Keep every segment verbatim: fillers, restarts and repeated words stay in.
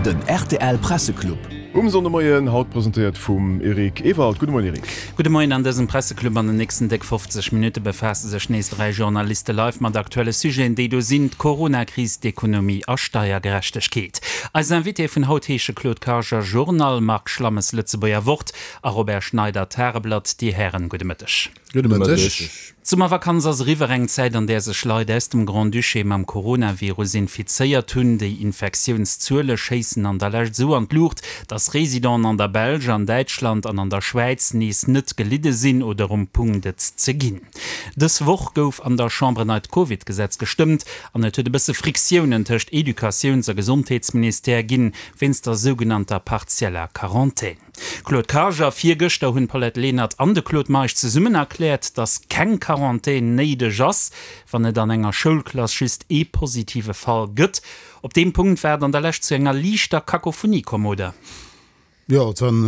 Den rtl Presseclub. Um Sonndemoien, haut presentéiert vum Eric Ewald. Gudde Moien Eric. Gudde Moien. An dësem Presseclub an den nächsten déck fofzeg Minutte befaasse sech nees dräi Journaliste live mat aktuelle Sujeten. Déi do sinn d'Coronakris, d'Ekonomie a Steiergerechtegkeet. Eis Invitéë vun haut heesche Claude Karger, Journal, Marc Schlammes, Lëtzebuerger Wort, a Robert Schneider, Tageblatt. Dir Hären, gudde Mëtteg. Gudde Mëtteg. D'Summervakanz ass eriwwer, eng Zäit, an där sech Leit aus dem Grand-Duché mam Coronavirus infizéiert hunn. Déi Infektiounszuele schéissen an der Lescht esou an d'Luucht, dass Residenten an der Belsch, an Däitschland an an der Schwäiz nees net gelidde sinn oder um Punkt et ze ginn. Dës Woch gouf an der Chamber en neit Covid-Gesetz gestëmmt an et huet e bësse Friktiounen tëscht Educatiouns a Gesondheetsministère ginn, wéinst der sougenannter partieller Quarantän. Claude Karger, Virgëschter hunn d'Paulette Lenert an de Claude Meisch zesummen erkläert, datt keng Quarantän néideg ass, wann et an enger Schoulklass just ee positive Fall gëtt. Op deem Punkt war et an der Lescht zu enger liichter Kakophonie komm, oder? Jo, et waren,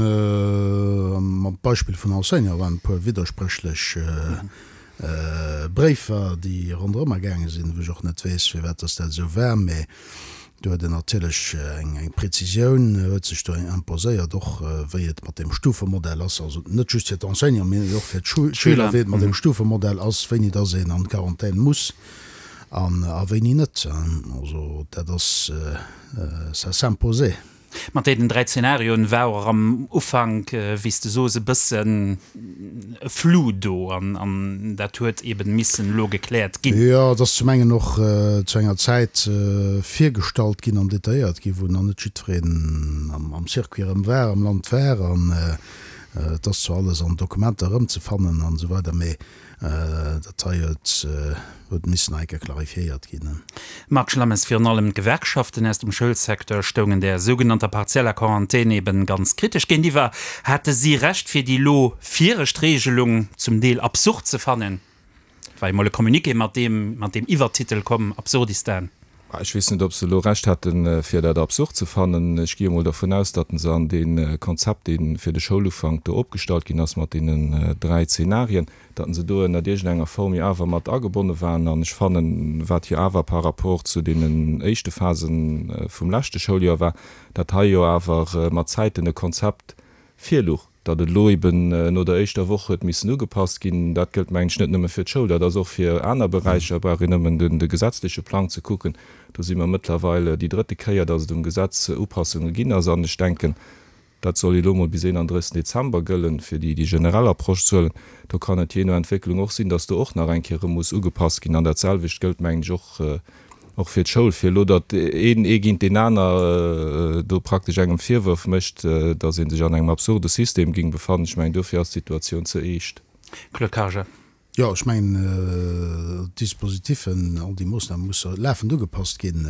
mam Beispill vun Enseignanten, waren e puer widderspréchlech Bréifer, déi ronderëmmer gaange sinn, wou ech och net weess, firwat datt dat esou war. Mä do huet en natierlech eng Präzisioun huet sech do imposéiert, och wéi et mat deem Stufemodell ass, also net just fir d'Enseignanten, mee och fir d'Schüler, wéi et mat deem Stufemodell ass, wéini dass een an d'Quarantän muss an a wéini net. Also dat ass, ça s'imposait. Mat deenen dräi Zenarioen war och am Ufank, wéi s de soos, e bëssen e Flou do an dat huet eben missen elo gekläert ginn. Jo, et ass zum engen och zu enger Zäit virgestallt ginn an detailléiert ginn, wou nach net jiddwereen am Circuit erëm war, am Land war. An et ass zwar alles an Dokumenter erëmzefannen an esou weider, mee Dat hei huet huet missen nach eng Kéier clarifiéiert ginn. Marc Schlammes, Virun allem d'Gewerkschaften aus dem Schoulsecteur stoungen där sougenannter partieller Quarantän eben ganz kritesch géintiwwer. Hate si Recht, fir déi elo viregt Regelung zum Deel absurd ze fannen? Et war jo mol e Communiqué mat deem mat deem Iwwertitel komm, Absurdistan. Ech weess net, ob se elo Recht hätten, fir dat absurd ze fannen. Ech gi emol dervun aus, datt se an dee Konzept, dee fir de Schoulufank do opgestallt ginn ass, mat deenen dräi Zenarien, datt se do ënnert iergendenger Form jo awer mat agebonne waren. An ech fannen, wat jo awer par rapport zu deenen éischte Phasen vum leschte Schouljoer war, datt hei jo awer mat Zäiten e Konzept virluch. Datt et elo eben no der éischter Woch huet missen ugepasst ginn, dat gëllt, mengen ech, net nëmme fir d'Schoul, dat ass och fir aner Beräicher. Et brauch een nëmmen de gesetzleche Plang ze kucken. Do si mer mëttlerweil déi drëtte Kéier, datt et um Gesetz Upassunge ginn ass. An ech denken, dat soll elo mol bis eenandrëssigsten Dezember gëllen, fir déi generell Approche ze huelen. Do kann et jee no Entwécklung och sinn, datt do och nach eng Kéier erëm muss ugepasst ginn. An dat selwecht gëllt, mengen ech, och Och fir d'Schoul, fir elo, datt een ee géint deen aner do praktesch engem Virwërf mécht, datt ee sech an engem absurde System géing befannen, ech mengen, dofir ass d'Situatioun ze eescht. Claude Karger. Jo, ech mengen, d'Dispositiffen, all déi Moossname musse lafend ugepasst ginn.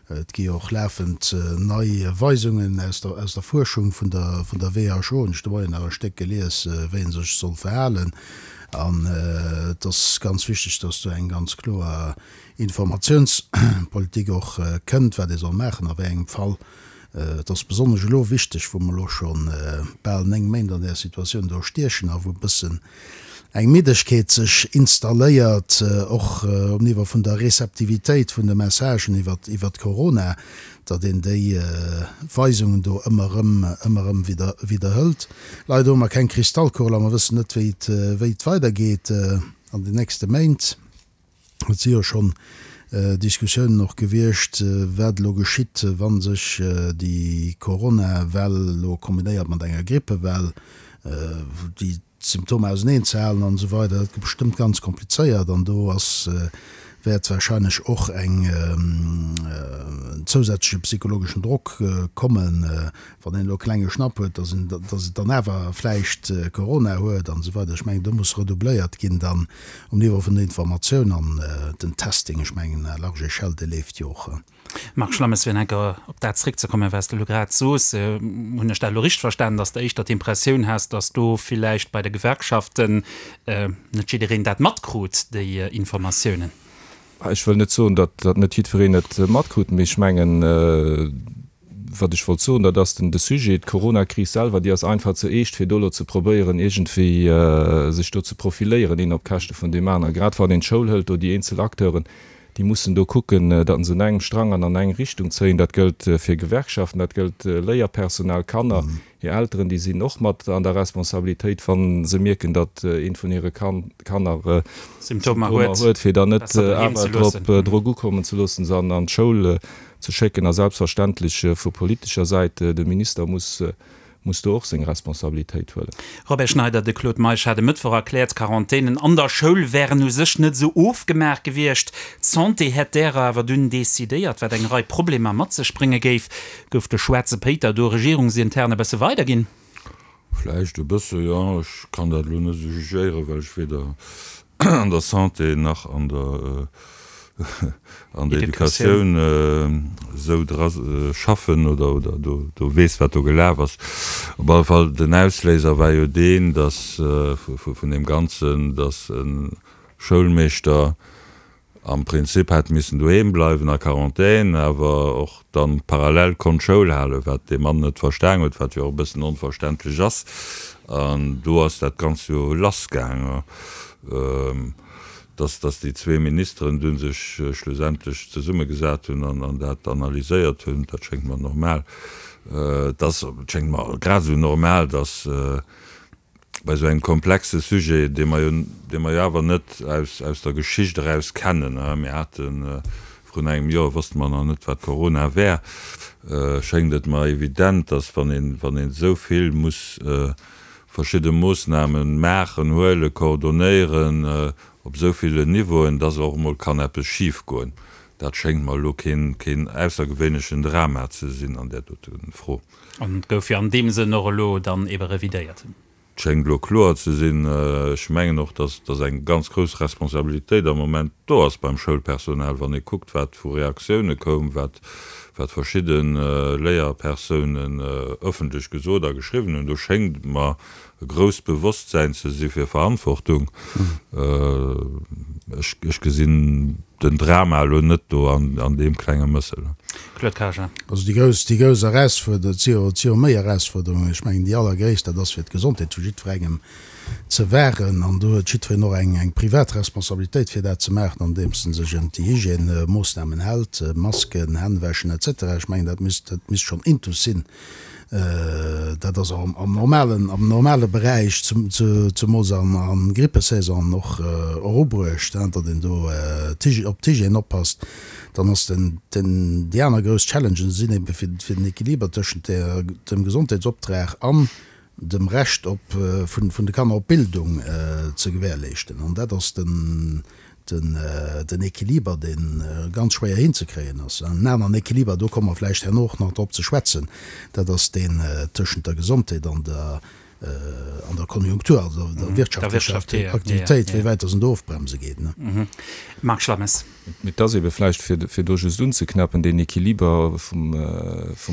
Et gi jo och lafend nei Weisungen aus der, aus der Fuerschung vun der, vun der W H O, hunn ech de Moien nach e Stéck gelies, wéi ee sech soll verhalen. An et ass ganz wichteg, dass do eng ganz kloer Informatiounspolitik och kënnt, wat ee soll maachen a wéi engem Fall. Et ass besonnesch elo wichteg, wou mer elo scho bal néng Méint an där Situatioun do stiechen a wou e bëssen eng Middegkeet sech installéiert, och um Niveau vun der Receptivitéit vun de Messagen iwwert iwwert Corona, datt een déi Weisungen do ëmmer erëm ëmmer erëm widder widderhëlt. Leider hu mer keng Kristallkugel a mer wëssen net, wéi et wéi et weidergeet an den nächste Méint. Et si jo schonn Diskussiounen och gewiescht, wat elo geschitt, wa sech déi Corona-Well elo kombinéiert mat enger Grippewell, déi d'Symptomer auseneen ze halen an esou weider. Dat gëtt bestëmmt ganz komplizéiert an do ass, wäert wahrscheinlech och eng en zousätzleche psychologeschen Drock kommen, wann een elo e klenge Schnapp huet, dass een, dass et dann awer vläicht Corona huet an esou weider. Ech mengen, do muss redoubléiert ginn dann um Niveau vun der Informatioun an den Testing, ech mengen à large échelle, dee leeft jo och. Marc Schlammes, fir enker op dat zréckzekommen, wat s de elo grad sos, hunn ech dat elo richteg verstanen, dass de éischter d'Impressioun has, dass do villäicht bei de Gewerkschaften net jiddereen dat matkrut, déi Informatiounen? Ech wëll net soen, datt net jiddwereen et matkrut, mee ech mengen, wat ech wollt soen, dat ass den de Sujet, d'Coronakris selwer, déi ass einfach ze eescht, fir do elo ze probéieren, iergendwéi sech do ze profiléieren, een op Käschte vun deem aneren. Grad wann een d'Schoul hëlt, do déi eenzel Acteuren, déi mussen do kucken, datt se un engem Strang an an eng Richtung zéien. Dat gëllt fir Gewerkschaften, dat gëllt Léierpersonal, Kanner, hir Elteren, déi sinn och mat an der Responsabilitéit, wa se mierken, datt eent vun hire Kanner Symptomer huet, fir dann net awer drop Drock ukommen ze loossen, se an d'Schoul ze schécken. A selbstverständlech vu politescher Säit, de Minister muss muss do och seng Responsabilitéit huelen. Robert Schneider, De Claude Meisch hat e Mëttwoch erkläert, d'Quarantänen an der Schoul wären u sech net esou ofgemaach gewiescht. D'Santé hätt därer awer dunn decidéiert, wat eng Rei Problemer mat sech brénge géif. Gouf de schwaarze Péiter do regierungsintern e bësse weiderginn? Vläicht e bësse, jo. Ech kann dat elo net esou jugéieren, well ech weder an der Santé nach an der an der Educatioun esou dra schaffen oder oder do do weess, wat do gelaf ass. Op alle Fall, den Ausléiser war jo deen, dass vun deem Ganzen, dass e Schoulmeeschter am Prinzip hätt missen doheem bleiwen a Quarantän, awer och dann parallel konnt Schoul halen, wat dee Mann net verstan huet, wat jo och e bëssen onverständlech ass. An do ass dat Ganzt jo lassgaang. Dass dass déi zwee Ministeren du sech schlussendlech zesummegesat hunn an an dat analyséiert hunn, dat schéngt mer normal. Et ass, et schéngt mer grad esou normal, dass bei esou engem komplexe Sujet, dee mer jo, dee mer jo awer net aus aus der Geschicht eraus kennen, mir hate vrun engem Joer wosste mer nach net, wat Corona wär, schéngt et mer evident, dass wann een, wann een esou vill muss verschidde Moossnamen maachen, huelen, coordonéieren op esou villen Niveauen, dass och emol kann eppes schifgoen. Dat schéngt mer elo keen, keen aussergewéinlechen Drama ze sinn an där dote Fro. An et gouf jo an deem Sënn och elo dann ebe revidéiert. Et schéngt elo kloer ze sinn. Ech mengen och, dass, dass eng ganz grouss Responsabilitéit am Moment do ass beim Schoulpersonal, wann ee kuckt, wat vu Reaktioune koum, wat, wat verschidde Léierpersounen ëffentlech gesot a geschriwwen hunn. Do schéngt mer e grousst Bewosstsäin ze si fir Verantwortung. Ech, ech gesinn den Drama elo net do an, an deem klenge Mëssel. Claude Karger. Also déi grouss, déi grouss Erausfuerderung, et si jo, et si jo méi Erausfuerderungen, ech mengen déi allergréisst, dat ass fir d'Gesondheet vu jiddwerengem ze wahren. An do huet jiddwereen och eng, eng privat Responsabilitéit fir dat ze maachen, andeems en sech un déi Hygiènemoossnamen hält, Masken, Hänn wäschen et cetera. Ech mengen dat misst, dat misst schonn intus sinn. Dat ass och am normalen, am normale Beräich, zemools an Grippesaison och erubruecht, datt een do op d'Hygiène oppasst. Dann ass den, den, déi aner grouss Challengen sinn ebe fir, fir den Equiliber tëschent der, dem Gesondheetsoptrag an dem Recht op, vun, vun de Kanner op Bildung ze gewährleeschten. An dat ass den, den Equiliber, dee ganz schwéier hinzekréien ass. En aneren Equiliber, do komme mer vläicht herno och nach drop ze schwätzen, dat ass deen tëschent der Gesondheet an der, an der Konjunktur, also der wirtschaftlecher Aktivitéit, wéi wäit dass en do ofbremse geet. Marc Schlammes. Mee et ass ebe vläicht, fir do just unzeknäppen, deen Equiliber vum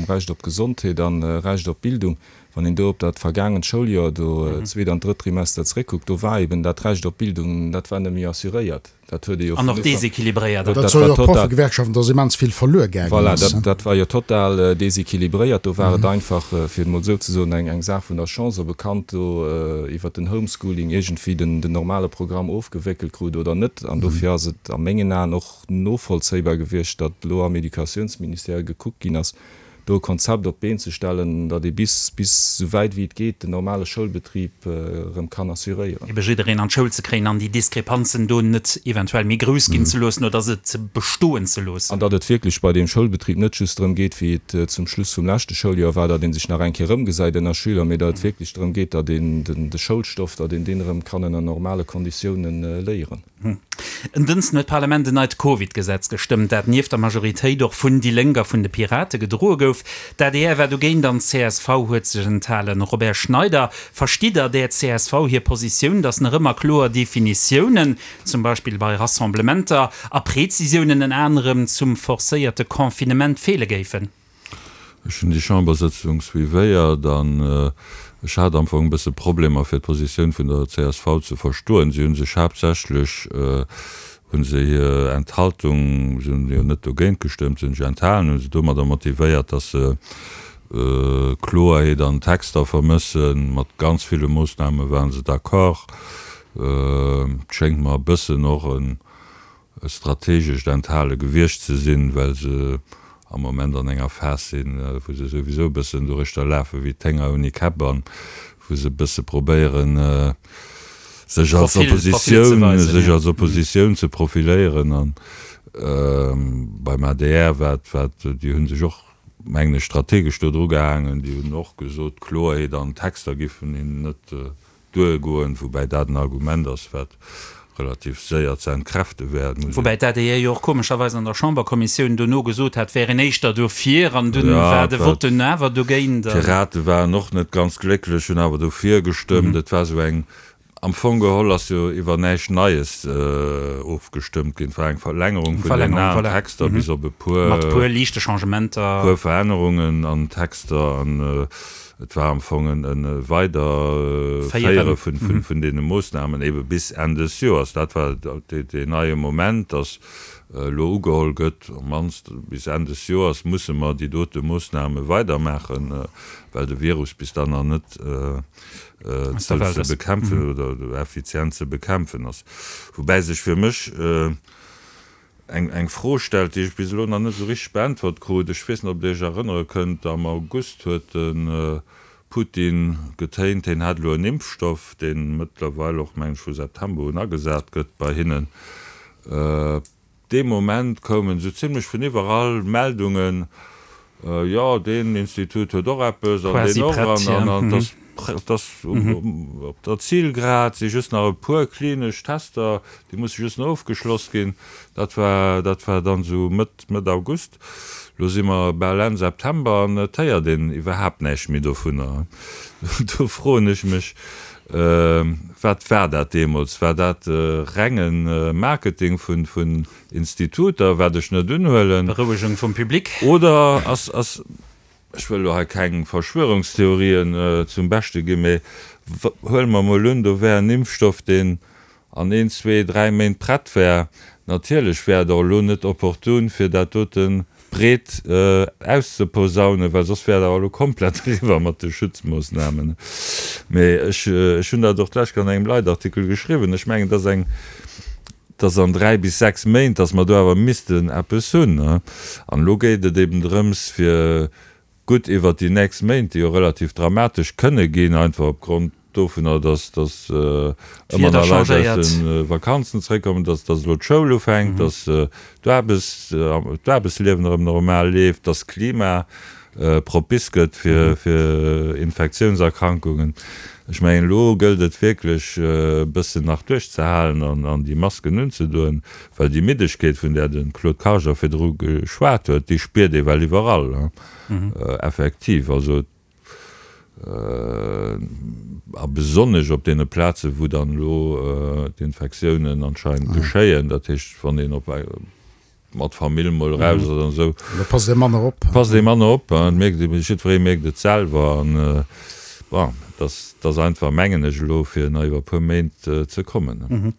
Recht op Gesondheet an Recht op Bildung, Wann een do op dat vergaangent Schouljoer, do zweet an drëtt Trimester zréckkuckt, do war eben dat Recht op Bildung, dat war net méi assuréiert. Dat huet ee jo An och deséquilibréiert. Dat soe jo och d'Proffegewerkschaften, dass immens vill verluer gaangen Voilà, ass. dat, dat war jo total deséquilibréiert. Do war et einfach, fir et emol esou ze soen, eng, eng Saach vun der Chance, ob e Kand do iwwert den Homeschooling iergendwéi den, den normale Programm ofgewéckelt krut oder net. An dofir ass et a mengen Aen och novollzéibar gewiescht, datt elo am Educatiounsministère gekuckt ginn ass, do e Konzept op d'Been ze stellen, datt ee bis, bis esou wäit wéi et geet, den normale Schoulbetrib erëm kann assuréieren. Ebe jiddereen an d'Schoul ze kréien an déi Diskrepanzen do net eventuell méi grouss ginn ze loossen oder se ze bestoen ze loossen. An datt et wierklech bei deem Schoulbetrib net just drëm geet, wéi et zum Schluss vum leschte Schouljoer war, datt ee sech nach eng Kéier erëmgesäit ënner Schüler, mee datt et wierklech drëm geet, datt een de Schoulstoff, datt een deen erëm kann ënner normale Konditiounen léieren. En Dënschden huet d'Parlament en neit Covid-Gesetz gestëmmt, dat nieft der Majoritéit och vun déi Lénk a vun de Pirate gedroe gouf. D'adr war dogéint an d'CSV huet sech enthalen. Robert Schneider, Verstitt Der där csv hir Positioun, datt nach ëmmer kloer Definitiounen, zum Beispill bei Rassemblementer, a Prezisiounen ënner anerem zum forcéierte Confinement feele géifen? Ech hunn déi Chambersëtzung suivéiert an ech hat am Fong e bësse Problemer fir d'Positioun vun der csv ze verstoen. Si hu sech haaptsächlech, hu se hir Enthaltung, si hunn jo net dogéint gestëmmt, si hunn sech enthalen, hu se domadder motivéiert, datt se Kloerheet an Texter vermëssen. Mat ganz ville Moossname ware se d'accord. Et schéngt mer e bëssen och en e strategescht Enthale gewiescht ze sinn, well se am Moment an enger Phas sinn, wou se souwisou e bëssen doruechter lafe wéi d'Hénger ouni Käpp an wou se e bësse probéieren, sech als Oppositioun, sech als Oppositioun ze profiléieren. An beim adr war et, war et, déi hu sech och, mengen ech, strategesch do dru gehaangen, déi hunn och gesot, Kloerheet an Texter giffen hinnen net duergoen, woubäi dat en Argument ass, wat relativ séier ze entkräfte wär. Et muss een. Woubäi d'ADR jo och komescherweis an der Chamberkommissioun dono gesot hat, wär een éischter dofir, an dunn war de Vote dunn awer dogéint. D'Pirate waren och net ganz glécklech, hunn awer dofir gestëmmt. Et war esou eng, am Fong geholl ass jo iwwer näischt Neies ofgestëmmt ginn. Et war eng Verlängerung vun den alen Texter bis op e puer. Mat e puer liichte Changementer. Puer Verännerungen an Texter an Et war am Fong e Weiderféiere vun deene Moossnamen ebe bis Enn des Joers. Dat war deen neie Moment, dass elo ugeholl gëtt, op d'mannst bis Enn des Joers musse mer déi dote Moossname weidermaachen, well de Virus bis dann nach net ze bekämpfen oder effizient ze bekämpfen ass. Woubäi sech fir mech eng Fro stellt, déi ech bis elo nach net esou richteg beäntwert krut. Ech weess net, ob Dir Iech erënnere kënnt, am August huet de Putin getéint, hien hätt elo en Impfstoff, dee mëttlerweil och, mengen ech, vu September un agesat gëtt bei hinnen. Dee Moment koumen esou zimlech vun iwwerall Meldungen, jo, deen Institut huet och eppes an deen och, an et ass Et ass op der Zilgrad, si just nach e puer klinesch Tester, déi musse just nach ofgeschloss ginn. Dat war, dat war dann esou Mëtt, Mëtt August. Elo si mer bal Enn September an et héiert een iwwerhaapt näischt méi dovunner. Do froen ech mech, Wat war dat deemools? War dat renge Marketing vun, vun Instituter, wat ech net unhuelen? Berouegung vum Public? Oder ass, ass. Ech wëll elo hei keng Verschwörungstheorien zum Beschte ginn, mee huele mer emol un, do wär en Impfstoff, deen an een, zwee, dräi Méint prett wär. Natierlech wär et och elo net opportun, fir dat dote breet auszeposaunen, well soss wär et awer elo komplett eriwwer mat de Schutzmoossnamen. Mee ech hunn dat och d'lescht Kéier an engem Leitartikel geschriwwen, ech mengen, et ass eng, dass an dräi bis sechs Méint, dass mer do awer missten eppes hunn. An elo geet et eben drëms, fir gutt iwwert déi nächst Méint, déi jo relativ dramatesch kënne ginn, einfach opgrond dovunner, dass dass ëmmer nach Leit aus de Vakanzen zréckkommen, dass dass elo d'Schoul ufänkt, dass d'Aarbechts d'Aarbechtsliewen erëm normal leeft, dass d'Klima propice gëtt fir fir Infektiounserkrankungen. Ech mengen, elo gëllt et wierklech e bëssen nach duerchzehalen an an déi Masken unzedoen, well déi Middegkeet, vun där de Claude Karger virdru geschwat huet, déi spiert ee well iwwerall, effektiv. Also a besonnesch op deene Plazen, wou dann elo d'Infektiounen anscheinend geschéien, dat heescht, wann een op mat Famill mol eraus ass an esou. Da passt ee manner op. Passt ee manner op, et mierkt ee, jiddweree mierkt et selwer an bon, et ass, et ass einfach, mengen ech elo, fir nach iwwer e puer Méint ze kommen.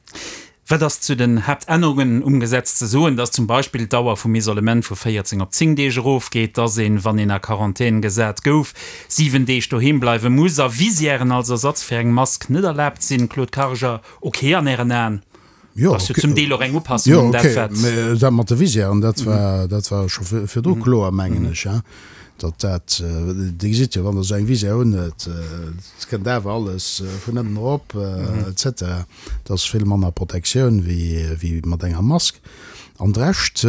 Wat ass zu den Haaptännerungen um Gesetz ze soen? Dass zum Beispill d'Dauer vum Isolement vu véierzéng op zéng Deeg erofgeet, dass een, wann een a Quarantän gesat gouf, siwen Deeg doheem bleiwe muss a Visièren als Ersatz fir eng Mask net erlaabt sinn. Claude Karger, Ok an Ären Aen? Jo, Ass jo zum Deel och eng Upassung jo, un dat, okay. wat. Mä dat mat de Visièren, dat war, dat war scho virdru kloer, mengen ech, hein, datt dat, Dir gesitt jo, wann Der esou eng Visière unhuet, et kënnt awer alles vun ënnen erop, et cetera. Et ass vill manner Protektioun wéi, wéi mat enger Mask. An de Rescht,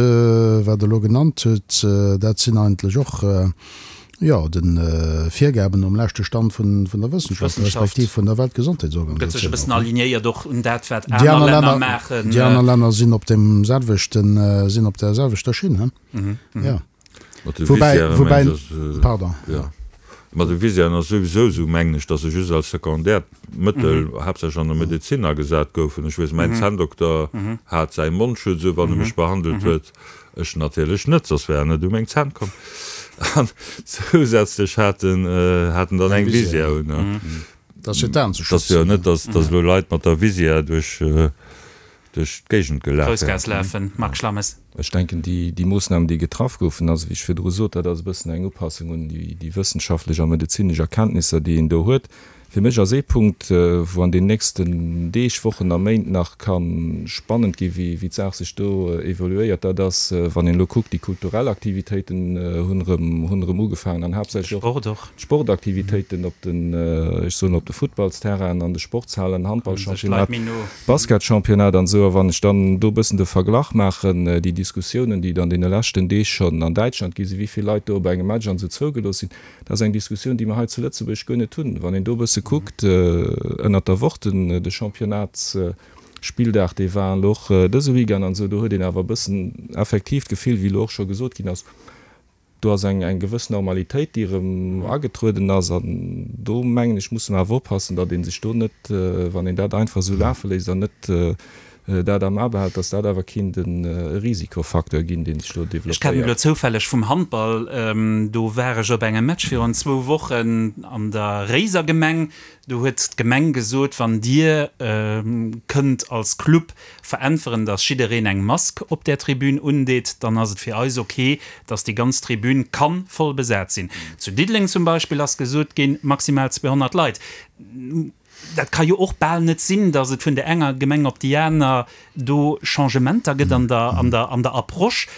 wat Der elo genannt hutt, dat sinn eigentlech och, Jo, de Virgaben nom leschte Stand vun der Wëssenschaft, respektiv vun der Weltgesondheetsorganisatioun. Gëtt sech e bëssen alignéiert och un dat, wat aner Länner maachen. Déi aner Länner sinn op deem selwechten, sinn op där selwechter Schinn, he? Jo. Woubäi, woubäi, pardon. Mat de Visièren ass souwisou esou, mengen ech, datt se just als sekundäert Mëttel, haaptsächlech an der Medezin, agesat goufen. Ech weess, mäin Zänndokter hat säi Mondschutz u, wann e mech behandelt huet. Ech natierlech net, soss wär en net u meng Zänn komm. An zousätzlech hat en hat en dann eng Visière un. Dat ass fir d'Aen ze schützen. Dat ass jo net, dass dass elo Leit mat der Visière duerch duerch d'Géigend gelaf wären. Groussgaass lafen, Marc Schlammes. Ech denken, déi, déi Moossnamen, déi getraff goufen, also wéi ech virdru sot, dat ass e bëssen eng Upassung un déi, déi wëssenschaftlech a medezinesch Erkenntnisser, déi een do huet. Fir mech ass ee Punkt, wou an den nächsten Deeg, Wochen a Méint nach ka spannend gi wéi d'Saach sech do evoluéiert, dat ass, wann een elo kuckt, déi kulturell Aktivitéiten hunn erëm, hunn erëm ugefaangen an haaptsächlech och d'Sportaktivitéiten op den, ech soen, op de Futtballsterrainen, an de Sportshalen, Handballchampionnat, Basketchampionnat an esou. A wann ech dann do e bëssen de Verglach maachen, déi Diskussiounen, déi et an deene leschten Deeg schonn an Däitschland gi sinn, wéi vill Leit do op engem Match an esou zougelooss sinn, Dat ass eng Diskussioun, déi mer hei zu Lëtzebuerg guer net hunn. Wann een do e bësse kuckt, ënnert der Woch, den, de Championnats-Spilldag, dee war elo och dëse Weekend an esou, do huet een awer e bëssen effektiv d'Gefill, wéi elo och scho gesot ginn ass, do ass eng, eng gewëss Normalitéit, déi erëm agetrueden ass. An do, mengen ech, musse mer awer oppassen, datt ee sech do net, wann een dat einfach esou lafe léisst an net dat am A behält, dass dat awer kinnt e Risikofacteur ginn, dee sech do Ech kennen elo developpéiert. zoufälleg vum Handball, do war ech op engem Match virun zwou Wochen an der Réiser Gemeng. Do huet d'Gemeng gesot, wann Dir kënnt als Club veräntweren, dass jiddereen eng Mask op där Tribün undeet, dann ass et fir eis ok, dass déi ganz Tribün ka voll besat sinn. Zu Diddeleng zum Beispill ass gesot ginn, maximal zweehonnert Leit. Dat ka jo och bal net sinn, datt et vun der enger Gemeng op déi aner do Changementer gëtt an der, an der, an der Approche.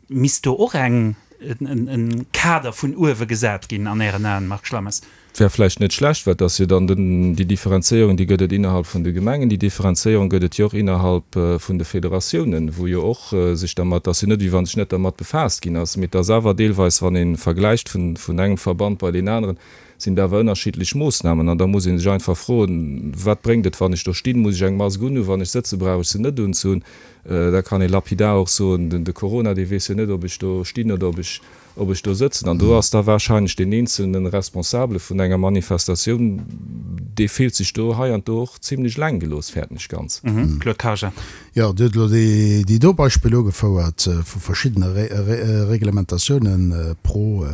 Misst do och eng, en Kader vun uewe gesat ginn an Ären Aen, Marc Schlammes? Wär vläicht net schlecht, well et ass jo dann den, déi Differenzéierung, déi gëtt et innerhalb vun de Gemengen, déi Differenzéierung gëtt et jo och innerhalb vun de Federatiounen, wou jo och sech dermat, ass jo net, wéi wa sech net dermat befaasst ginn ass, mee et ass awer deelweis, wann ee vergläicht vun, vun engem Verband bei deen aneren, sinn et awer ënnerschiddlech Moossnamen. An da muss ee sech einfach froen, Wat bréngt et, wann ech do stinn? Muss ech eng Mask unhunn? Wann ech sëtzen, brauch ech se net unzehunn? Da kann ee lapidar och soen, Den de Corona, dee weess jo net, ob ech do stinn oder ob ech, ob ech do sëtzen. An do ass da warscheinlech deen eenzelne Responsabele vun enger Manifestatioun, dee fillt sech do hei an do och zimlech eleng gelooss, fäerten ech ganz. Claude Karger. Jo, Dir hutt elo déi, déi do Beispiller ugefouert vu verschiddene Reglementatiounen pro,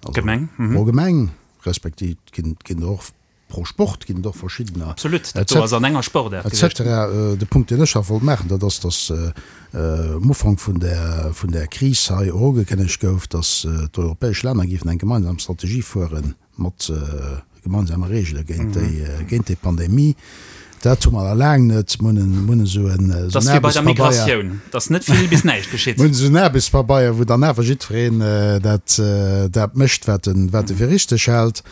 also Gemeng, pro Gemeng. Respektiv ginn ginn der och pro Sport ginn et och verschiddener. Absolut, dat do ass an enger Sportaart gewiescht. Et cetera. De Punkt, deen ech nach wollt maachen, dat ass, datt um Ufank vun där vun där Kris hei och ugekënnegt gouf, datt d'europäesch Länner géifen eng gemeinsam Strategie fuere mat gemeinsame Regele géint déi géint déi Pandemie. Dat hu mer nach laang net. Mir hunn esou en Dass wéi bei der Migratioun, dass net vill bis näischt geschitt. Mir hunn esou en Aarbechtspabeier, wou dann awer jiddwereen dat dat mécht, wat en wat e fir richteg hält.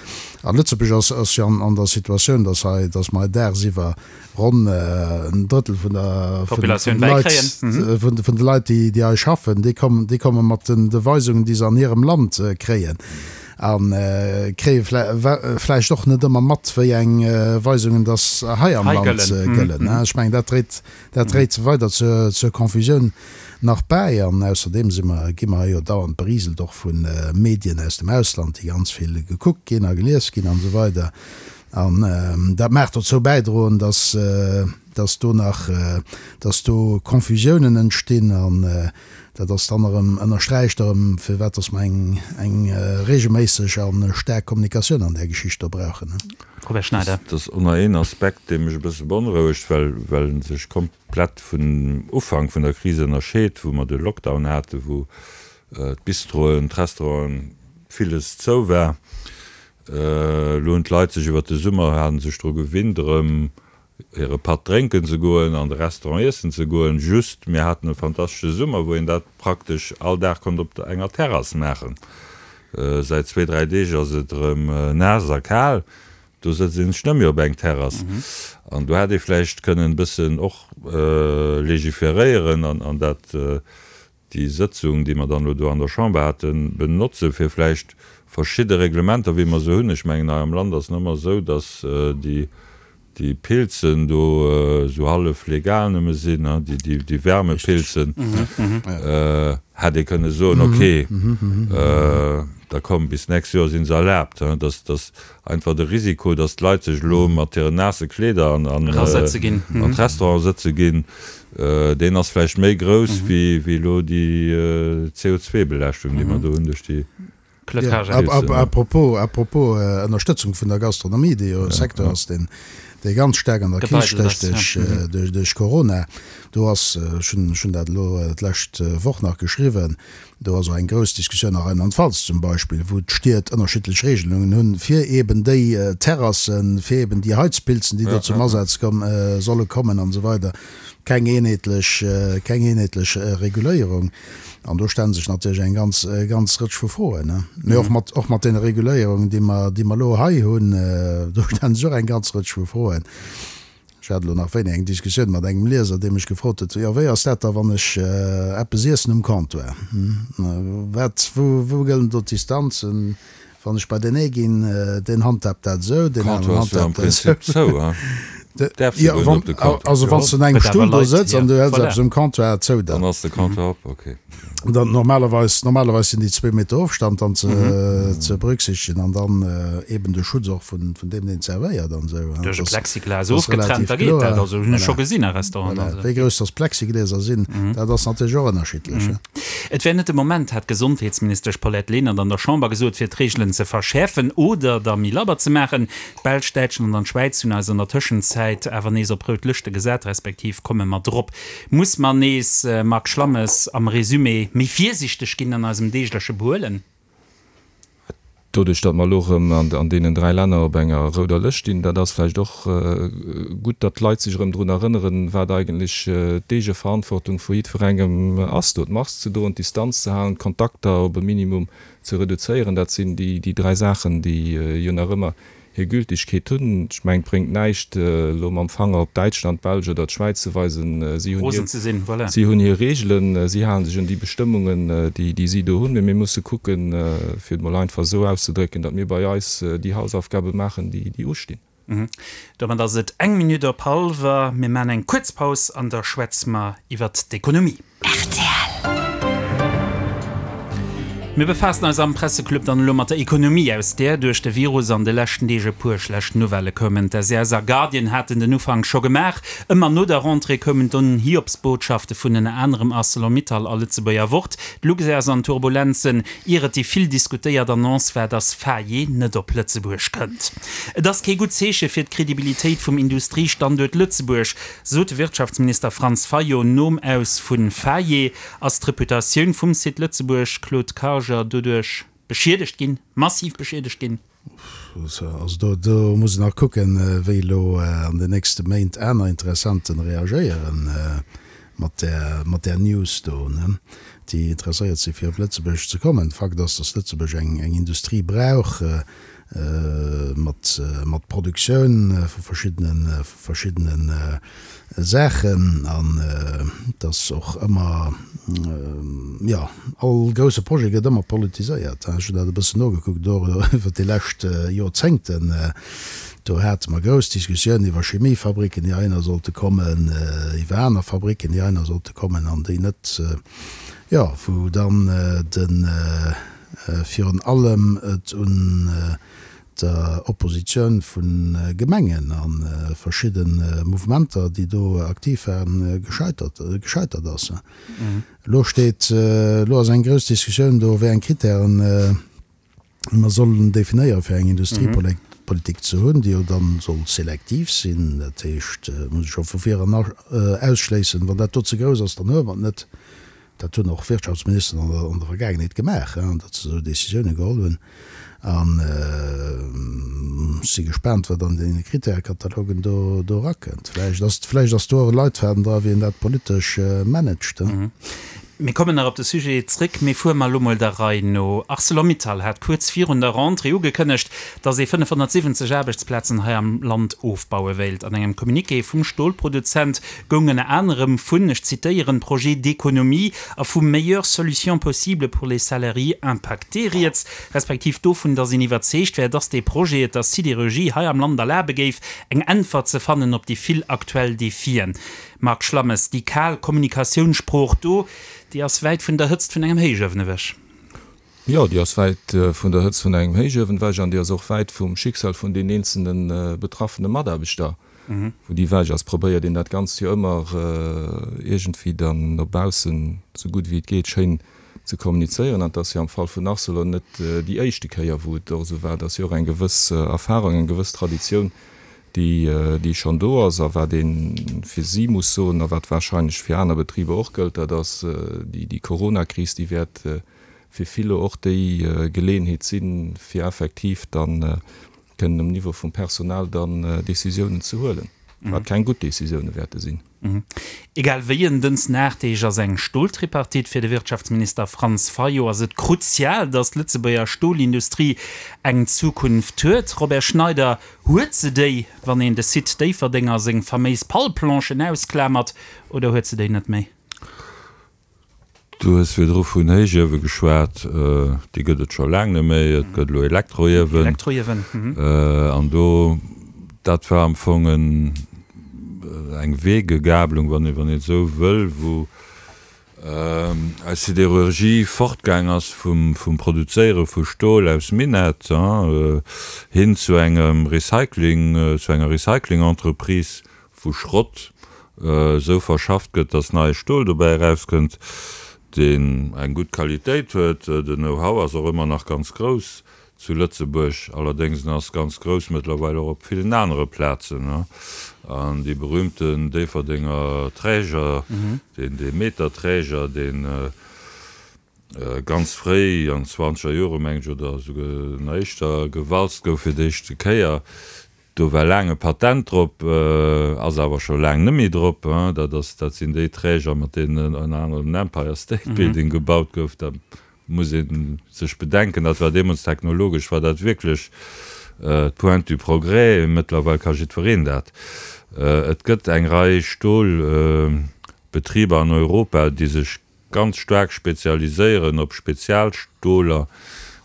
A Lëtzebuerg ass ass jo an der Situatioun, dass hei, dass mer hei dagsiwwer ronn en Drëttel vun der vun Populatioun de Leit bäikréien. vun vun de Leit, déi déi hei schaffen, déi kommen déi komme mat den de Weisungen, déi se an hirem Land kréien. A kréie vläicht och net ëmmer mat, wéi eng Weisungen dass hei am Land gëllen. Ech mengen, dat dréit, dat dréit weider zur Confusioun nach bäi. An ausserdeem si mer, gi mer hei jo dauernd beriselt, och vu Medien aus dem Ausland, déi ganz vill gekuckt ginn a gelies ginn an esou weider. An dat mag dozou bäidroen, dass, dass do nach, dass do Confusiounen entstinn. An dat ass dann erëm, ënnersträicht erëm, firwat dass mer eng, eng regelméisseg a staark Kommunikatioun an där Geschicht do brauchen. Robert Schneider. Dat ass och nach een Aspekt, dee mech e bësse beonrouegt, well, well en sech komplett vun Ufank vun der Kris ënnerscheet, wou mer de Lockdown haten, wou d'Bistroen, d'Restauranten, villes zou war. Elo hunn d'Leit sech iwwert de Summer, hate sech dru gewinnt, erëm hire Patt drénken ze goen, an de Restaurant iessen ze goen. Just, mir haten e fantastesche Summer, wou een dat praktesch all Dag konnt op enger Terrass maachen. Säit zwee, dräi Deeg ass et erëm naass a kal, do sëtzt een sech net méi op eng Terrass. An do hätt ee vläicht kënnen e bëssen och legiferéieren an dat déi Sëtzung, déi mer dann elo do an der Chamber haten, benotzen, fir vläicht verschidde Reglementer, wéi mer se hunn, ech mengen, hei am Land ass et nach ëmmer esou, dass déi, déi Pilzen do esou hallef legal nëmme sinn, déi, déi Wärmepilzen, hätt ee kënne soen, okay, da komm, bis d'nächst Joer si se erlaabt, dass, dass einfach de Risiko, dass d'Leit sech elo mat hiren naasse Kleeder an, an d'Restaurante sëtze ginn, Deen ass vläicht méi grouss wéi elo déi C O zwei Belaaschtung, déi mer do hunn duerch déi Claude Haagen. À propos, à propos Ënnerstëtzung vun der Gastronomie, déi jo e Secteur ass, deen, dee ganz staark an der Kris stécht duerch, duerch Corona. Do ass, ech hunn, ech hunn dat elo d'lescht Woch nach geschriwwen, do ass och eng grouss Diskussioun a Rheinland-Pfalz zum Beispill, wou d'Stied ënnerschiddlech Regelungen hunn, fir eeben déi Terrassen, fir eeben déi Heizpilzen, déi do zum Asaz solle kommen an esou weider. Keng eenheetlech, keng eenheetlech Reguléierung. An do stelle sech natierlech eng ganz, ganz Rëtsch vu Froen. Mee och mat, och mat deene Reguléierungen, déi mer, déi mer elo hei hunn, do stelle sech och eng ganz Rëtsch vu Froen. Ech hat elo nach wéini eng Diskussioun mat engem Lieser, dee mech gefrot huet, Jo, wéi ass dat da, wann ech eppes iessen um Comptoir? Wat, wou, wou gëllen do d'Distanzen? Wann ech bei deen ee ginn, deen handhaabt dat esou, deen aneren Comptoir ass jo am handhaabt dat esou. Prinzip zou, hein? Däerfs de Jo, guer net wann, op de Comptoir. also wann s du un engem Gëtt awer Stull do Leit, sëtz jo, an du häls voilà. eppes um Comptoir zou, dann. Dann ass de Comptoir op, okay. Dann normalerweis, normalerweis sinn déi zwee Meter Ofstand dann ze, ze berücksichtegen an dann eben de Schutz och vun, vun deem, deen zerwéiert an esou. Duerch e Dat ass, Plexiglas dat ass ofgetrennt, relativ da geet dat. kloer. Also hunn ech scho Voilà. gesinn a Restauranten. Voilà. Also. Wéi grouss dass d'Plexigläser sinn, dat ass natierlech och ënnerschiddlech. Et wär net de Moment, hat d'Gesondheetsministesch Paulette Lenert an der Chamber gesot, fir d'Reegelen ze verschäerfen oder der méi labber ze maachen. D'Belsch, Däitschland an d'Schwäiz hunn eis an der Tëschenzäit awer nees op rout Lëschte gesat, respektiv komme mer drop. Muss mer nees, Marc Schlammes, am Resumé, méi virsiichteg ginn an eisem deegleche Behuelen? Doduerch, datt mer elo erëm an deenen dräi Länner op enger rouder Lëscht stinn, dat ass vläicht och gutt, datt d'Leit sech erëm drun erënneren, wat eigentlech d'Eegeverantwortung vu jiddwerengem ass, do d'Mask ze droen, d'Distanz ze halen, d'Kontakter op e Minimum ze reduzéieren. Dat sinn déi dräi Saachen, déi jo nach ëmmer hir Gültigkeet hunn. Ech mengen, et bréngt näischt, elo mam Fanger op Däitschland, d'Belsch oder d'Schwäiz ze weisen. Si hunn Rosen hir, ze sinn, voilà. si hunn hir Regeln, si hale sech un déi Bestëmmungen, déi, déi si do hunn. Mee mir musse kucken, fir et mol einfach esou auszedrécken, datt mir bei eis déi Hausaufgabe maachen, déi, déi ustinn. Domat ass et eng Minutt op hallwer. Mir maachen eng kuerz Paus an da schwätze mer iwwert d'Ekonomie. Mir befaassen eis am Presseclub dann elo mat der Ekonomie, aus där duerch de Virus an de leschten Deeg e puer schlecht Nouvellë koumen. D'SES a Guardian haten den Ufank scho gemaach. Ëmmer no der Rentrée koumen dunn Hiobsbotschafte vun ënner anerem Arcelor-Mittal a Lëtzebuerger Wort. D'Luxair ass an Turbulenzen, ier et déi vill diskutéiert Annonce war, dass Faye net op Lëtzebuerg kënnt. Et ass kee gutt Zeeche fir d'Kredibilitéit vum Industriestanduert Lëtzebuerg, sot de Wirtschaftsminister Franz Fayot nom Aus vu Faye. Ass d'Reputatioun vum Site Lëtzebuerg, Claude Karger, doduerch beschiedegt ginn, massiv beschiedegt ginn? Also do, do muss een nach kucken, wéi elo an den nächste Méint aner Interessenten reagéieren mat där, mat där News do, ne, déi interesséiert si fir op Lëtzebuerg ze kommen. Fakt ass, datt Lëtzebuerg eng, eng Industrie brauch mat, mat Produktioun vu verschiddenen, vu verschiddenen Saachen an dass och ëmmer, jo, all grousse Projet gëtt ëmmer politiséiert. Ech hunn dat e bëssen nogekuckt och iwwer déi lescht Joerzéngten. Do hate mer grouss Diskussiounen iwwer Chemiefabricken, déi heihinner sollte kommen, iwwer aner Fabricken, déi heihinner sollte kommen an déi net, jo, wou dann de virun allem et un der Oppositioun vu Gemengen a verschidde Mouvementer, déi do aktiv waren, gescheitert gescheitert ass. Elo steet, elo ass eng grouss Diskussioun do, wéi eng Kritären mer sollen definéieren, fir eng Industriepolitik ze hunn, déi jo dann soll selektiv sinn. Dat heescht, muss ech scho vu vir eran ausschléissen, wann dat do ze grouss ass, dann huele mer et net. Dat hunn och Wirtschaftsministeren an der an der Vergaangenheet gemaach, datt se esou Décisiounen geholl hunn. An ech si gespaant, wat an deene Kritärekatalogen do do erakënnt. Vläicht ass vläicht ass do och e Leitfaden dra, wéi een dat politesch managt. Mir kommen nach op de Sujet zréck, mee fuere mer elo mol der Rei no. Arcelor-Mittal hat kuerz virun der Rentrée ugekënnegt, datt ee fënnefhonnertsiwwenzeg Aarbechtsplazen hei am Land ofbaue wéilt. An engem Communiqué vum Stolproduzent goung ënner anerem vun, ech zitéieren, projet d'économie a vu meilleures solutions possibles pour les salariés impactés rieds, respektiv dovun, datt een iwwerzeegt wär, datt dee Projet et der Sidérurgie hei am Land erlabe géif, eng Äntwert ze fannen op déi vill aktuell Defien. Marc Schlammes, Déi kal Kommunikatiounssprooch do, déi ass wäit vun der Hëtzt vun engem Héichuewen ewech. Jo, déi ass wäit vun der Hëtzt vun engem Héichuewen ewech an déi ass och wäit vum Schicksal vun den eenzelne betraffene Mataarbechter, wou déi ewech ass. Probéiert een dat Ganzt jo ëmmer iergendwéi dann no baussen, esou gutt wéi et geet, schéin ze kommunizéieren. An et ass jo am Fall vun Arcelor net déi éischte Kéier, wou et och esou war. Et ass jo och eng gewëss Erfahrung, eng gewëss Traditioun, déi, déi schonn do ass. A wat ee fir si muss soen a wat wahrscheinlech fir aner Betriber och gëllt, dat ass, déi, déi Coronakris, déi wäert fir vill elo och déi Geleeënheet sinn, fir effektiv dann kënnen um Niveau vum Personal dann Décisiounen ze huelen, wat keng gutt Décisioune wäerte sinn. Egal wéi, en dëns Nachdeeg ass eng Stoltripartite. Fir de Wirtschaftsminister Franz Fayot ass et kruzial, datt d'Lëtzebuerger Stolindustrie eng Zukunft huet. Robert Schneider, Huet se déi, wann een de Site Déifferdeng a seng faméis Palplanchen ausklamert, oder huet se déi net méi? Du hues virdru vun Héichiewe geschwat. Déi gëtt et scho laang net méi. Et gëtt elo Elektroiewen. Elektroiewen, mhm. An do, dat war am Fong en, eng Wegegabelung, wann een, wann een et esou wëll, wou eis Siderurgie fortgaang ass vum, vum Produzéiere vu Stol aus Minett hin zu engem Recycling, zu enger Recycling-Entreprise, wou Schrott esou verschafft gëtt, dass neie Stol dobäi erauskënnt, deen eng gutt Qualitéit huet. Den Know-how ass och ëmmer nach ganz grouss zu Lëtzebuerg, allerdéngs en ass ganz grouss mëttlerweil och op villen anere Plazen. An dee berühmten Déifferdenger Träger, deen dee Meterträger, deen ganz fréi an zwanzeger Jore mengen ech, oder esouguer nach éischter, gewalzt gouf fir d'éischte Kéier, Do war laang e Patent drop, ass awer scho laang net méi drop. Dat ass, dat sinn déi Träger, mat deenen ënner anerem den Empire State Building gebaut gouf. Da muss ee sech bedenken, dat war deemools technologesch war dat wierklech d'Pointe du progrès. Mëttlerweil ka jiddwereen dat. Et gëtt eng Rei Stolbetriber an Europa, déi sech ganz staark spezialiséieren op Spezialstoler.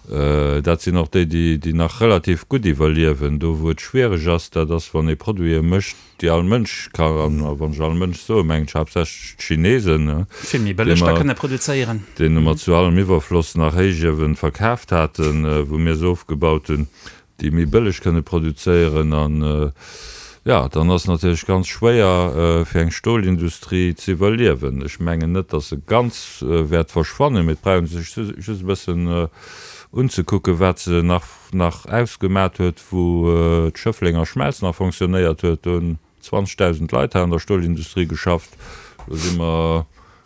Dat sinn och déi, déi nach relativ gutt iwwerliewen. Do wou et schwiereg ass, dat ass wann ee Produite mécht, déi all Mënsch ka, an wann ech all Mënsch soen, mengen ech haaptsächlech d'Chinesen, Vill méi bëlleg da kënne produzéieren. deene mer zu allem Iwwerfloss nach Héichiewen verkaaft haten, wou mir se ofgebaut hunn. déi méi bëlleg kënne produzéieren an jo, dann ass natierlech ganz schwéier fir eng Stolindustrie ze iwwerliewen. Ech mengen net, datt se ganz wäert verschwannen, mee et brauch ee sech just e bëssen unzekucken, wat se nach nach ausgemat huet, wou d'Schëfflenger Schmelz nach fonctionnéiert huet. Do hunn zwanzegdausend Leit hei an der Stolindustrie geschafft, elo si mer